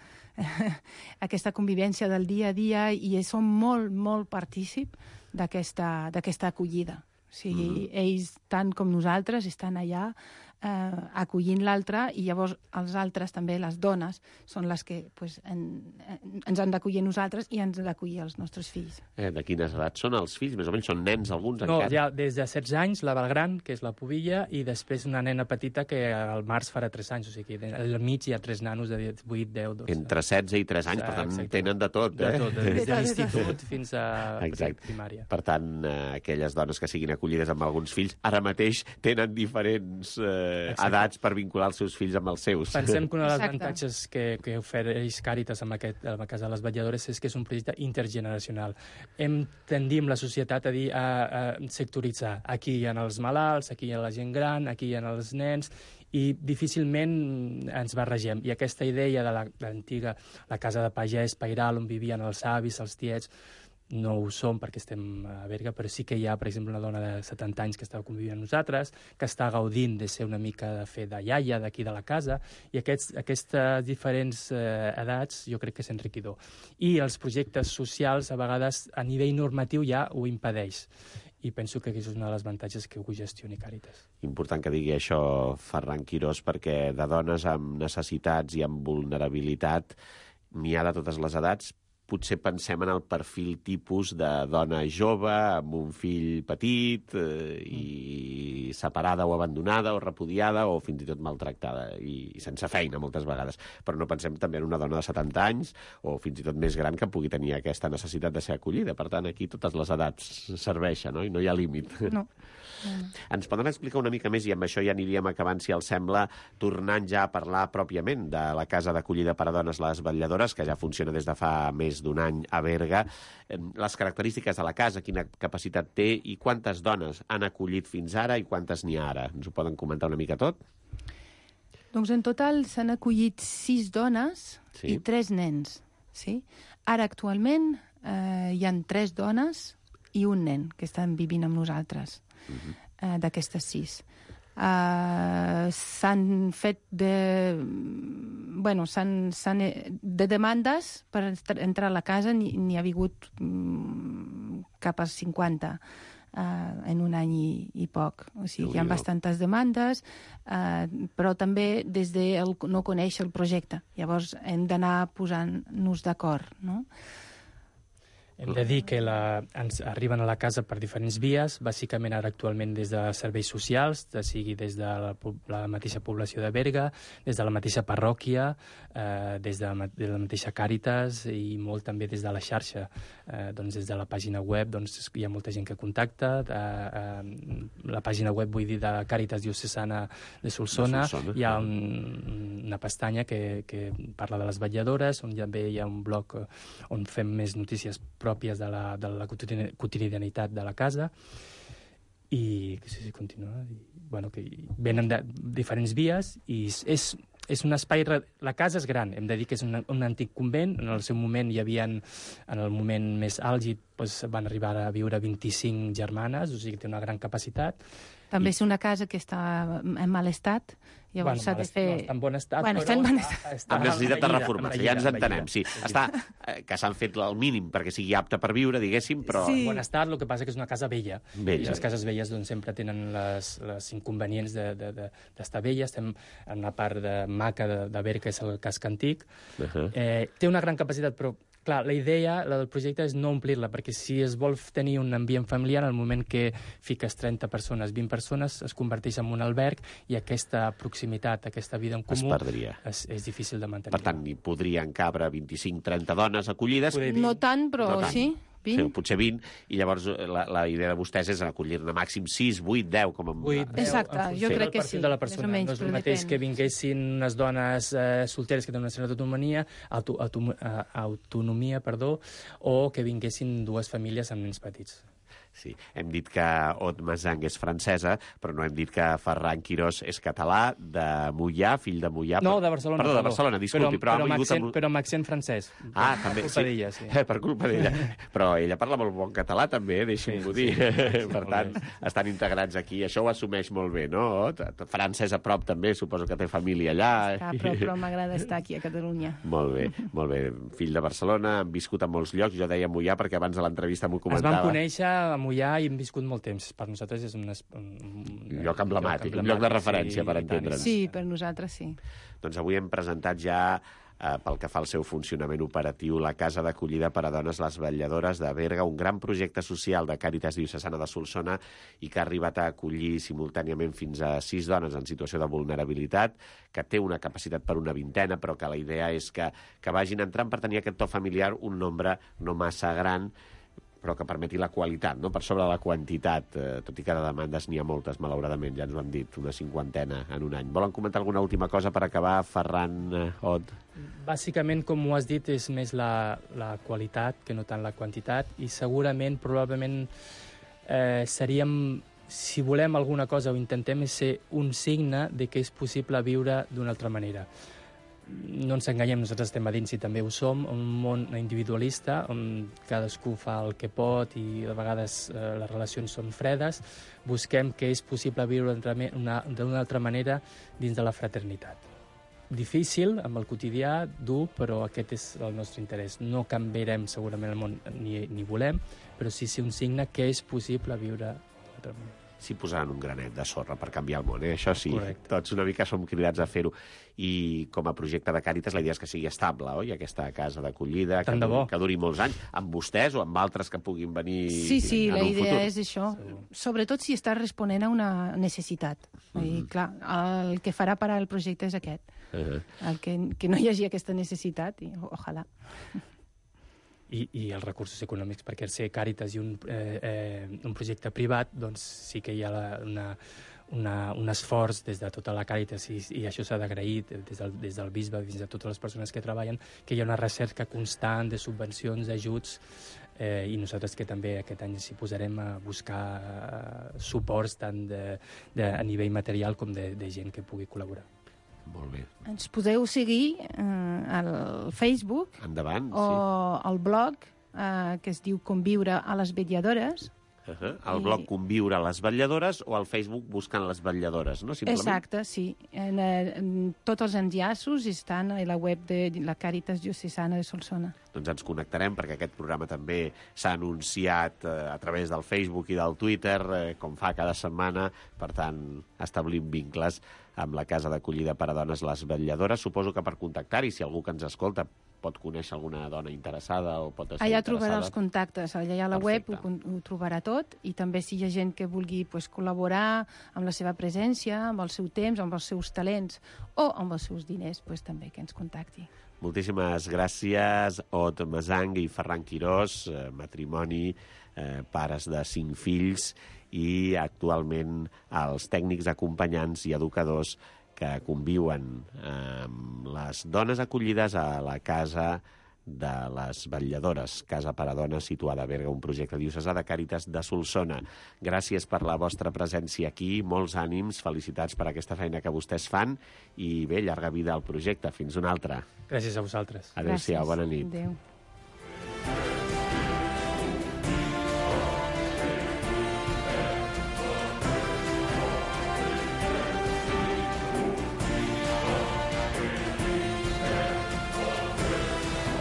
aquesta convivència del dia a dia, i som molt partícips d'aquesta acollida. O sigui, ells, tant com nosaltres, estan allà acollint l'altre, i llavors els altres, també les dones, són les que ens han d'acollir nosaltres i ens han d'acollir els nostres fills. De quines edats són els fills? Més o menys són nens, alguns encara? No, ja des de 16 anys, la Belgran, que és la pubilla, i després una nena petita que al març farà 3 anys, o sigui, al mig hi ha 3 nanos de 8, 10, 12. Entre 16 i 3 anys, per tant, tenen de tot, De tot, des de l'institut fins a primària. Per tant, aquelles dones que siguin acollides amb alguns fills, ara mateix tenen diferents edats per vincular els seus fills amb els seus. Pensem que un dels avantatges que ofereix Càritas amb la Casa de les Vetlladores és que és un projecte intergeneracional. Tendim la societat a dir, a sectoritzar. Aquí hi ha els malalts, aquí hi ha la gent gran, aquí hi ha els nens, i difícilment ens barregem. I aquesta idea de l'antiga, la casa de pagès pairal, on vivien els avis, els tiets, no ho som perquè estem a Berga, però sí que hi ha, per exemple, una dona de 70 anys que està convivint amb nosaltres, que està gaudint de ser una mica de fer de iaia d'aquí de la casa, i aquestes diferents edats jo crec que és enriquidor. I els projectes socials, a vegades, a nivell normatiu ja ho impedeix. I penso que és un dels avantatges que ho gestioni Càritas. Important que digui això Ferran Quirós, perquè de dones amb necessitats i amb vulnerabilitat n'hi ha de totes les edats, potser pensem en el perfil tipus de dona jove, amb un fill petit, i separada o abandonada o repudiada o fins i tot maltractada i sense feina moltes vegades. Però no pensem també en una dona de 70 anys o fins i tot més gran que pugui tenir aquesta necessitat de ser acollida. Per tant, aquí totes les edats serveixen, no? I no hi ha límit. No. Ens poden explicar una mica més, i amb això ja aniríem acabant, si els sembla, tornant ja a parlar pròpiament de la casa d'acollida per a dones Les Vetlladores, que ja funciona des de fa més d'un any a Berga. Les característiques de la casa, quina capacitat té i quantes dones han acollit fins ara i quantes n'hi ha ara? Ens ho poden comentar una mica tot? Doncs en total s'han acollit 6 dones i 3 nens. Sí? Ara, actualment, hi han 3 dones i un nen que estan vivint amb nosaltres, d'aquestes 6. S'han fet de demandes per entrar a la casa, n'hi ha hagut cap a 50 en un any i poc. O sigui, hi ha bastantes demandes, però també des de no conèixer el projecte. Llavors hem d'anar posant-nos d'acord, no? Hem de dir que ens arriben a la casa per diferents vies, bàsicament ara actualment des de serveis socials, sigui des de la mateixa població de Berga, des de la mateixa parròquia, des de la mateixa Càritas i molt també des de la xarxa. Doncs des de la pàgina web hi ha molta gent que contacta. La pàgina web, vull dir, de Càritas Diocesana de Solsona, hi ha una pestanya que parla de les vetlladores, on també hi ha un blog on fem més notícies pròpies de la quotidianitat de la casa, i continua. Que venen de diferents vies i és un espai... La casa és gran, hem de dir que és un antic convent. En el seu moment hi havia, en el moment més àlgid, van arribar a viure 25 germanes, o sigui que té una gran capacitat. També és una casa que està en mal estat, llavors s'ha de fer... No està en bon estat, però... Està amb necessitat de reformació, ja ens entenem, sí. Que s'han fet el mínim perquè sigui apta per viure, diguéssim, però... En bon estat, el que passa que és una casa vella. I les cases velles sempre tenen les inconvenients d'estar velles. Estem en una part de maca de Berga, que és el casc antic. Té una gran capacitat, però clar, la idea del projecte és no omplir-la, perquè si es vol tenir un ambient familiar, al moment que fiques 30 persones, 20 persones, es converteix en un alberg i aquesta proximitat, aquesta vida en comú és difícil de mantenir. Per tant, hi podrien cabre 25-30 dones acollides. No tant, però sí. 20? Potser 20, i llavors la idea de vostès és acollir-ne màxim 6, 8, 10, com a... 8, 10, exacte, jo crec que sí. De la persona. No és el mateix que vinguessin unes dones solteres que tenen una certa autonomia, o que vinguessin 2 famílies amb nens petits. Sí, hem dit que Aude Mazang és francesa, però no hem dit que Ferran Quirós és català, de Moià, fill de Moià... No, de Barcelona. Perdó, de Barcelona, disculpi. Però amb accent francès. També, per culpa d'ella, sí. Per culpa d'ella. Però ella parla molt bon català, també, deixi'm-ho dir. Per tant, estan integrats aquí. Això ho assumeix molt bé, no? Francès a prop, també, suposo que té família allà. Està a prop, però m'agrada estar aquí a Catalunya. Molt bé, molt bé. Fill de Barcelona, han viscut a molts llocs. Jo deia Moià perquè abans de l'entrevista m'ho comentava. Es van conèixer a Moià i hem viscut molt temps. Per nosaltres és un lloc emblemàtic, un lloc de referència, per entendre'ns. Sí, per nosaltres sí. Doncs avui hem presentat ja, pel que fa al seu funcionament operatiu, la Casa d'Acollida per a Dones Les Vetlladores de Berga, un gran projecte social de Càritas Diocesana de Solsona i que ha arribat a acollir simultàniament fins a 6 dones en situació de vulnerabilitat, que té una capacitat per una 20, però que la idea és que vagin entrant per tenir aquest to familiar un nombre no massa gran, però que permeti la qualitat, no? Per sobre la quantitat, tot i que de demandes n'hi ha moltes, malauradament, ja ens ho han dit, una 50 en un any. Volen comentar alguna última cosa per acabar, Ferran, Aude? Bàsicament, com ho has dit, és més la qualitat que no tant la quantitat, i segurament, probablement, si volem alguna cosa o intentem, és ser un signe de que és possible viure d'una altra manera. No ens enganyem, nosaltres estem a dins i també ho som, un món individualista on cadascú fa el que pot i a vegades les relacions són fredes. Busquem que és possible viure d'una altra manera dins de la fraternitat. Difícil, amb el quotidià, dur, però aquest és el nostre interès. No canviarem segurament el món ni volem, però sí ser un signe que és possible viure d'una altra manera. s'hi posaran un granet de sorra per canviar el món, Això sí, Correcte. tots una mica som cridats a fer-ho. I com a projecte de Càritas la idea és que sigui estable, oi? Aquesta casa d'acollida, que duri molts anys, amb vostès o amb altres que puguin venir Sí, en la un idea futur. és això. Sobretot si està responent a una necessitat. I, clar, el que farà parar el projecte és aquest. El que no hi hagi aquesta necessitat, i ojalà. I els recursos econòmics, perquè ser Càritas i un projecte privat, doncs sí que hi ha un esforç des de tota la Càritas, i això s'ha d'agrair des del bisbe fins a totes les persones que treballen, que hi ha una recerca constant de subvencions, d'ajuts, i nosaltres que també aquest any s'hi posarem a buscar suports tant a nivell material com de gent que pugui col·laborar. Molt bé. Ens podeu seguir al Facebook. Endavant, o al blog, que es diu Conviure a les vetlladores. El blog Conviure a les vetlladores o al Facebook Buscant les vetlladores, no? Simplement. Exacte, sí. Tots els enllaços estan a la web de la Càritas Diocesana de Solsona. Doncs ens connectarem, perquè aquest programa també s'ha anunciat a través del Facebook i del Twitter, com fa cada setmana. Per tant, establim vincles amb la Casa d'Acollida per a Dones Les Vetlladores. Suposo que per contactar-hi, si algú que ens escolta pot conèixer alguna dona interessada o pot estar allà interessada. trobarà els contactes, allà a la Perfecte. web ho trobarà tot, i també si hi ha gent que vulgui col·laborar amb la seva presència, amb el seu temps, amb els seus talents o amb els seus diners, també que ens contacti. Moltíssimes gràcies, Ot Masang i Ferran Quirós, matrimoni, pares de 5 fills i actualment els tècnics acompanyants i educadors que conviuen amb les dones acollides a la Casa de les Vetlladores, Casa per a Dones situada a Berga, un projecte diocesà de Càritas de Solsona. Gràcies per la vostra presència aquí, molts ànims, felicitats per aquesta feina que vostès fan i bé, llarga vida al projecte. Fins una altra. Gràcies a vosaltres. Adéu-siau, bona nit. Adéu.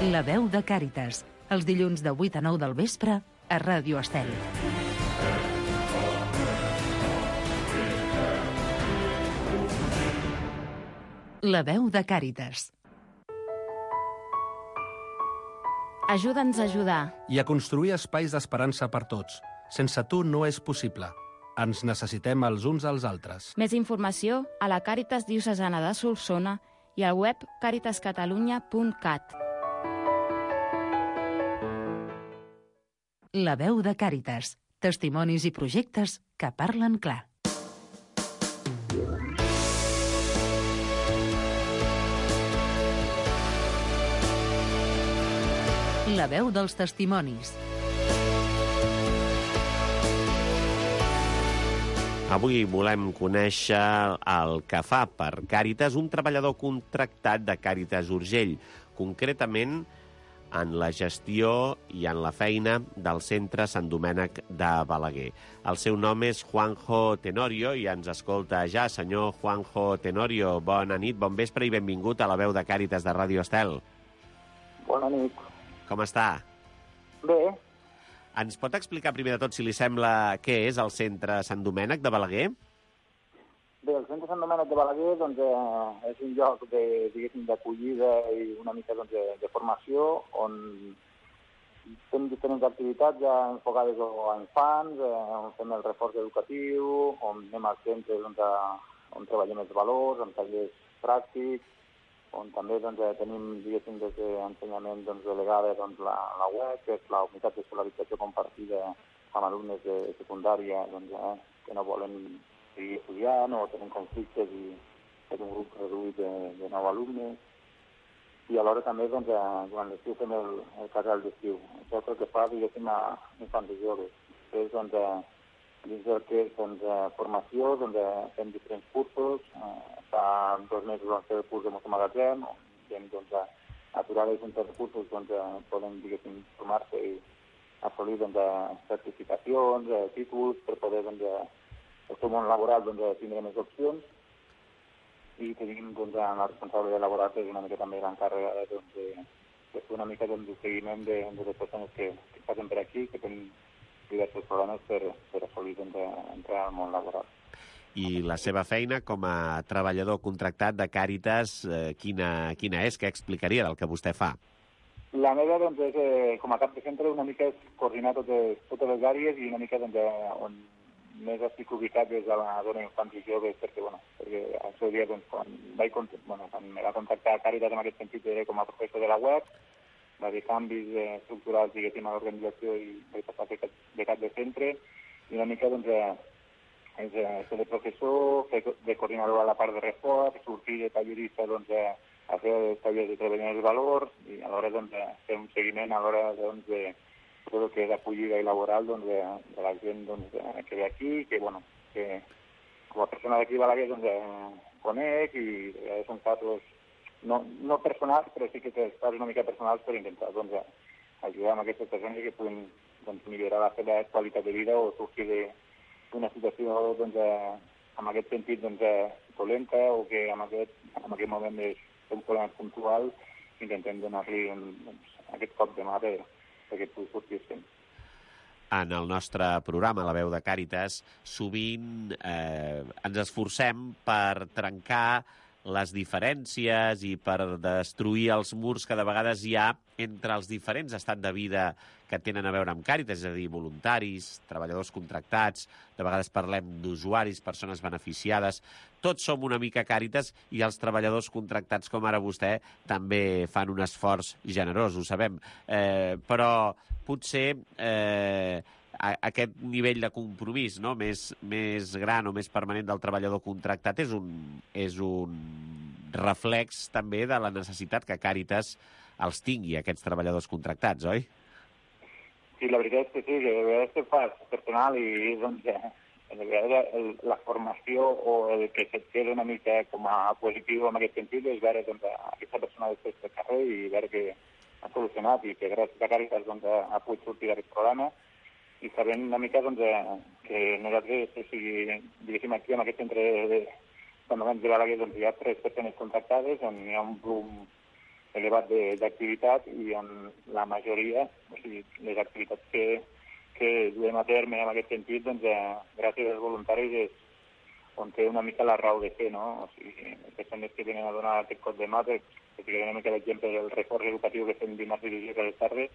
La veu de Càritas, els dilluns de 8 a 9 del vespre a Ràdio Estel. La veu de Càritas. Ajuda'ns a ajudar. I a construir espais d'esperança per tots. Sense tu no és possible. Ens necessitem els uns als altres. Més informació a la Càritas Diocesana de Solsona i al web caritascatalunya.cat. La veu de Càritas. Testimonis i projectes que parlen clar. La veu dels testimonis. Avui volem conèixer el que fa per Càritas un treballador contractat de Càritas Urgell, concretament en la gestió i en la feina del centre Sant Domènec de Balaguer. El seu nom és Juanjo Tenorio i ens escolta ja. Senyor Juanjo Tenorio, bona nit, bon vespre i benvingut a la veu de Càritas de Ràdio Estel. Bona nit. Com està? Bé. Ens pot explicar primer de tot, si li sembla, què és el centre Sant Domènec de Balaguer? Bé, el centre Sant Domènec de Balaguer és un lloc d'acollida i una mica de formació on fem diferents activitats ja enfocades a infants, on fem el reforç educatiu, on anem als centres on treballem els valors, amb tallers pràctics, on també tenim, des d'ensenyament delegada la web, que és la unitat d'escolarització compartida amb alumnes de secundària que no volen seguir estudiant o tenen conflictes i és un grup reduït de 9 alumnes. I alhora també durant l'estiu fem el casal d'estiu. Això és el que fa, a infants i joves. Després, dins del que és formació, fem diferents cursos. Fa 2 mesos vam fer el curs de motomagatzem, on gent aturada i sense recursos poden formar-se i assolir certificacions, títols, per poder el seu món laboral tindre més opcions, i tenim la responsabilitat laboral, que és una mica també l'encàrrega de fer una mica de seguiment de les persones que passen per aquí, que tenen diversos programes per assolir entrar al món laboral. I la seva feina com a treballador contractat de Càritas, quina és? Què explicaria del que vostè fa? La meva, doncs, és, com a cap de centre, una mica és coordinar totes les àrees i una mica doncs, on més estic ubicat des de la dona infants i joves, perquè al seu dia, doncs, quan me va contactar Càritas en aquest sentit, era com a professor de la web, va haver canvis estructurals, diguéssim, a l'organització i vaig passar de cap de centre, i una mica, doncs, és ser de professor, fer de coordinador a la part de reforç, sortir de tallerista, doncs, a fer els tallers de treballar els valors i alhora doncs, fer un seguiment a l'hora doncs, de tot el que és acollida i laboral doncs, de la gent doncs, que ve aquí, que com a persona d'aquí a Balaguer doncs, conec i són casos no personals, però sí que casos una mica personals per intentar doncs, ajudar amb aquestes persones que puguin doncs, millorar la seva qualitat de vida o sortir d'una situació doncs, en aquest sentit doncs, dolenta o que en aquest moment és un problema puntual, intentem donar-li aquest cop de mà perquè pugui sortir sempre. En el nostre programa, La veu de Càritas, sovint ens esforcem per trencar les diferències i per destruir els murs que de vegades hi ha entre els diferents estats de vida que tenen a veure amb Càritas, és a dir, voluntaris, treballadors contractats, de vegades parlem d'usuaris, persones beneficiades. Tots som una mica Càritas i els treballadors contractats, com ara vostè, també fan un esforç generós, ho sabem. Però potser aquest nivell de compromís, no? més gran o més permanent del treballador contractat és un reflex també de la necessitat que Càritas els tingui, aquests treballadors contractats, oi? Sí, la veritat és que sí, que de vegades te fas personal i doncs, de vegades la formació o el que se't queda una mica com a positiu en aquest sentit és veure doncs, aquesta persona després del carrer i veure que ha solucionat i que gràcies a Càritas doncs, ha pogut sortir d'aquest programa i sabent una mica doncs, que nosaltres, o sigui, diguéssim aquí en aquest centre de Balaguer doncs, hi ha 3 persones contractades on hi ha un volum elevat d'activitat i on la majoria, o sigui, les activitats que duem a terme en aquest sentit, doncs, gràcies als voluntaris és on té una mica la raó de fer, no? O sigui, les persones que venen a donar aquest cop de mà, que ficaré una mica d'exemple del reforç educatiu que fem dimarts i dijous a les tardes,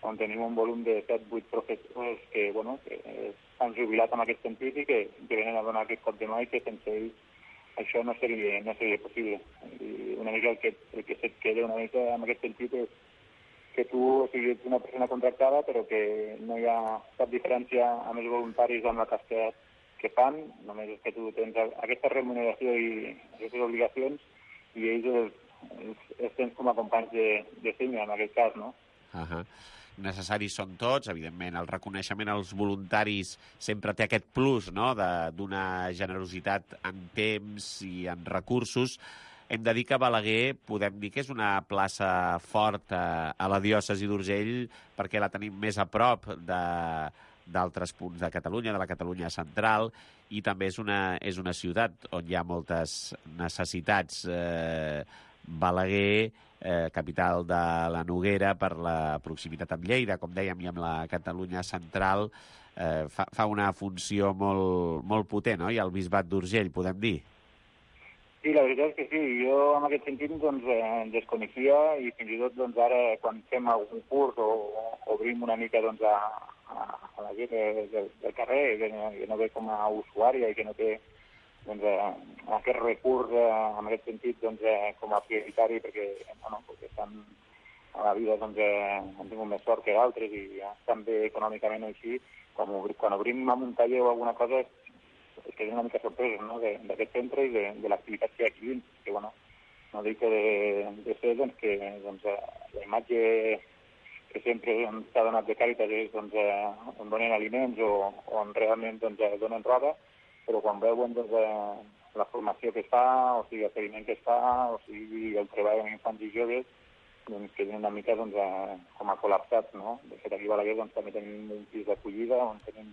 on tenim un volum de 7-8 professors que s'han jubilat en aquest sentit i que venen a donar aquest cop de mà i que sense ells això no seria possible. I una mica el que se't queda una mica en aquest sentit és que tu, o sigui, ets una persona contractada però que no hi ha cap diferència amb els voluntaris amb la tasca que fan, només és que tu tens aquesta remuneració i aquestes obligacions i ells els tens com a companys de feina en aquest cas, no? Necessaris són tots, evidentment, el reconeixement als voluntaris sempre té aquest plus, no?, d'una generositat en temps i en recursos. Hem de dir que Balaguer podem dir que és una plaça forta a la diòcesi d'Urgell perquè la tenim més a prop d'altres punts de Catalunya, de la Catalunya central, i també és una ciutat on hi ha moltes necessitats. Balaguer, capital de la Noguera, per la proximitat amb Lleida, com dèiem, i amb la Catalunya central, fa una funció molt potent, no? I el bisbat d'Urgell, podem dir? Sí, la veritat és que sí. Jo, en aquest sentit, doncs, desconeixia i fins i tot doncs, ara, quan fem algun curs o obrim una mica doncs, a la gent del carrer, que no ve com a usuària i que no té doncs, aquest recurs en aquest sentit doncs, com a prioritari perquè estan a la vida doncs, han tingut més sort que d'altres i estan bé econòmicament així. Quan obrim un taller o alguna cosa es queden una mica sorpresos, no?, d'aquest centre i de l'activitat que hi ha aquí dins. Que, no dic que de ser doncs, que doncs, la imatge que sempre s'ha donat de Càritas és doncs, on donen aliments o on realment doncs, donen roba, però quan veuen doncs, la formació que es fa, o sigui, el seguiment que es fa, o sigui, el treball amb infants i joves, doncs queden una mica doncs, com a col·lapsats, no? De fet, aquí a Balaguer doncs, també tenim un pis d'acollida on tenim,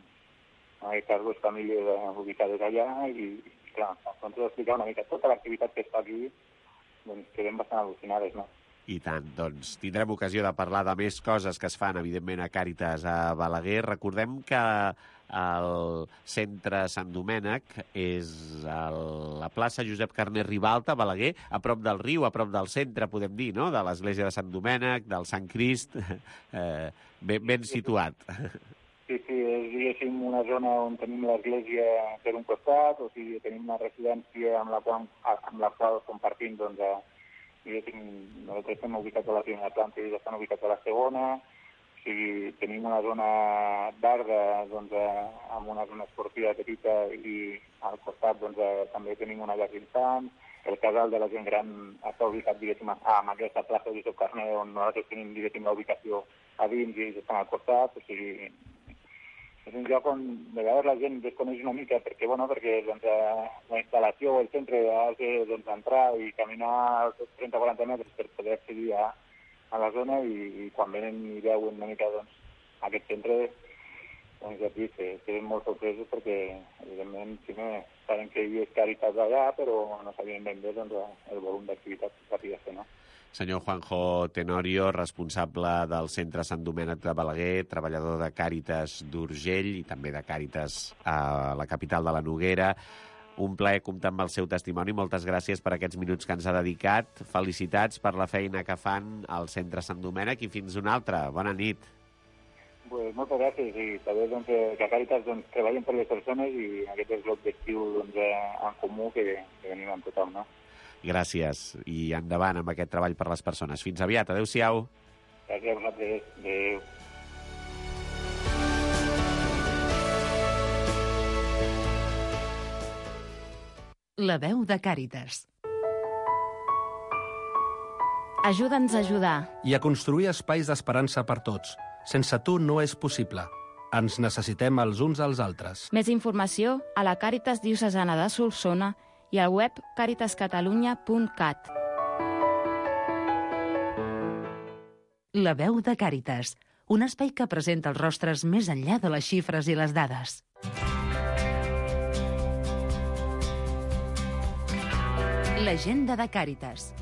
en aquest cas, 2 famílies ubicades allà i, clar, quan t'ho explicar una mica tota l'activitat que es fa aquí, doncs quedem bastant al·lucinades, no? I tant, doncs tindrem ocasió de parlar de més coses que es fan, evidentment, a Càritas a Balaguer. Recordem que el centre Sant Domènec és a la plaça Josep Carner Ribalta, a Balaguer, a prop del riu, a prop del centre, podem dir, no?, de l'església de Sant Domènec, del Sant Crist, ben situat. Sí, és, diguéssim, una zona on tenim l'església per un costat, o sigui, tenim una residència amb la qual compartim, doncs, diguéssim, nosaltres estem ubicats a la primera planta i ells estan ubicats a la segona, o sigui, tenim una zona verda, doncs, amb una zona esportiva petita i al costat, doncs, també tenim una llar d'infants. El casal de la gent gran està ubicat, diguéssim, en aquesta plaça de Josep Carner, on nosaltres tenim, diguéssim, la ubicació a dins i ells estan al costat, o sigui, és un lloc on de vegades la gent desconeix una mica perquè doncs, la instal·lació o el centre has de entrar i caminar 30-40 metres per poder accedir a la zona i quan venen i veuen una mica doncs, aquest centre, doncs ja et dic, queden molt sorpresos perquè evidentment saben que hi és Càritas allà però no sabien ben bé doncs, el volum d'activitat que s'havia de fer, no? Senyor Juanjo Tenorio, responsable del Centre Sant Domènec de Balaguer, treballador de Càritas d'Urgell i també de Càritas a la capital de la Noguera. Un plaer comptar amb el seu testimoni. Moltes gràcies per aquests minuts que ens ha dedicat. Felicitats per la feina que fan al Centre Sant Domènec i fins una altra. Bona nit. Pues moltes gràcies i també doncs, que a Càritas doncs, treballin per les persones i aquest és l'objectiu doncs, en comú que venim amb tothom, no? Gràcies i endavant amb aquest treball per les persones. Fins aviat. Adéu-siau. Gràcies a vosaltres. Adéu. La veu de Càritas. Ajuda'ns a ajudar. I a construir espais d'esperança per tots. Sense tu no és possible. Ens necessitem els uns als altres. Més informació a la Càritas Diocesana de Solsona i al web caritascatalunya.cat. La veu de Càritas, un espai que presenta els rostres més enllà de les xifres i les dades. L'agenda de Càritas.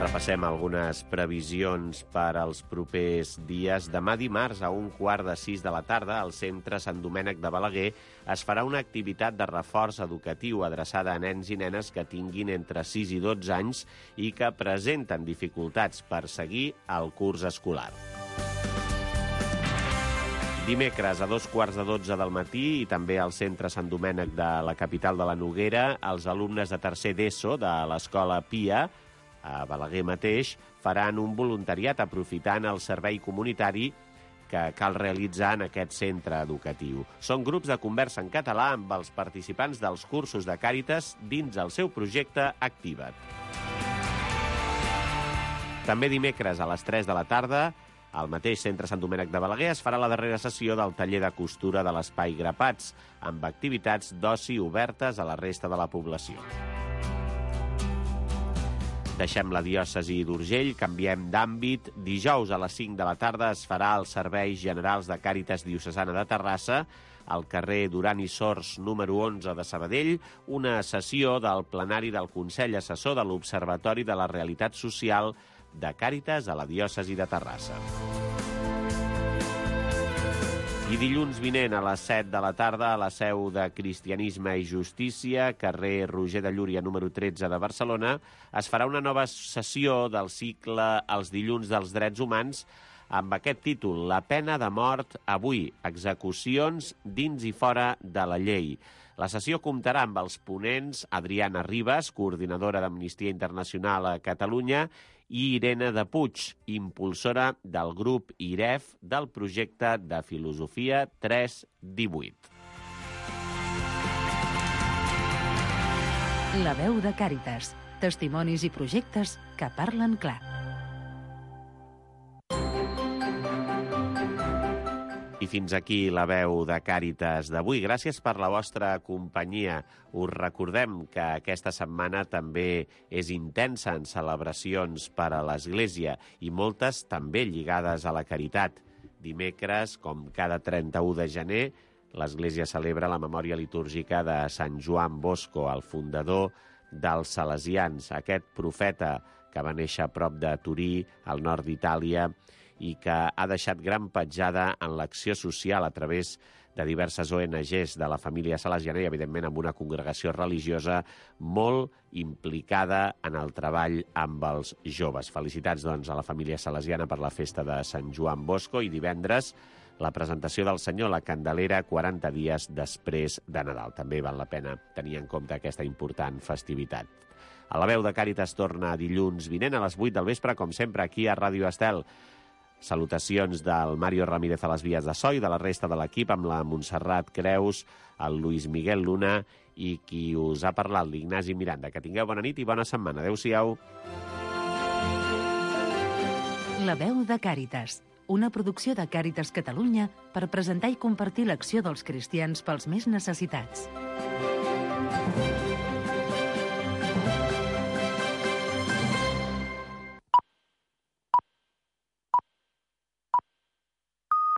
Repassem algunes previsions per als propers dies. Demà dimarts, a 5:15 de la tarda, al Centre Sant Domènec de Balaguer es farà una activitat de reforç educatiu adreçada a nens i nenes que tinguin entre 6 i 12 anys i que presenten dificultats per seguir el curs escolar. Dimecres, a 2:15 del matí, i també al Centre Sant Domènec de la capital de la Noguera, els alumnes de tercer d'ESO de l'Escola Pia, a Balaguer mateix, faran un voluntariat aprofitant el servei comunitari que cal realitzar en aquest centre educatiu. Són grups de conversa en català amb els participants dels cursos de Càritas dins el seu projecte Activa't. També dimecres a les 3 de la tarda, al mateix Centre Sant Domènec de Balaguer es farà la darrera sessió del taller de costura de l'Espai Grapats, amb activitats d'oci obertes a la resta de la població. Deixem la diòcesi d'Urgell, canviem d'àmbit. Dijous a les 5 de la tarda es farà als Serveis Generals de Càritas Diocesana de Terrassa, al carrer Duran i Sors, número 11 de Sabadell, una sessió del plenari del Consell Assessor de l'Observatori de la Realitat Social de Càritas a la diòcesi de Terrassa. I dilluns vinent a les 7 de la tarda a la seu de Cristianisme i Justícia, carrer Roger de Llúria, número 13 de Barcelona, es farà una nova sessió del cicle Els dilluns dels drets humans amb aquest títol, La pena de mort avui, execucions dins i fora de la llei. La sessió comptarà amb els ponents Adriana Ribas, coordinadora d'Amnistia Internacional a Catalunya, i Irene de Puig, impulsora del grup IREF del projecte de Filosofia 318. La veu de Càritas. Testimonis i projectes que parlen clar. I fins aquí la veu de Càritas d'avui. Gràcies per la vostra companyia. Us recordem que aquesta setmana també és intensa en celebracions per a l'Església i moltes també lligades a la caritat. Dimecres, com cada 31 de gener, l'Església celebra la memòria litúrgica de Sant Joan Bosco, el fundador dels salesians, aquest profeta que va néixer a prop de Turí, al nord d'Itàlia, i que ha deixat gran petjada en l'acció social a través de diverses ONGs de la família salesiana i, evidentment, amb una congregació religiosa molt implicada en el treball amb els joves. Felicitats, doncs, a la família salesiana per la festa de Sant Joan Bosco i divendres la presentació del Senyor, la Candelera, 40 dies després de Nadal. També val la pena tenir en compte aquesta important festivitat. A la veu de Càritas torna dilluns vinent a les 8 del vespre, com sempre, aquí a Ràdio Estel. Salutacions del Mario Ramírez a les vies de so i de la resta de l'equip, amb la Montserrat Creus, el Luis Miguel Luna i qui us ha parlat, l'Ignasi Miranda. Que tingueu bona nit i bona setmana. Adéu-siau. La veu de Càritas, una producció de Càritas Catalunya per presentar i compartir l'acció dels cristians pels més necessitats.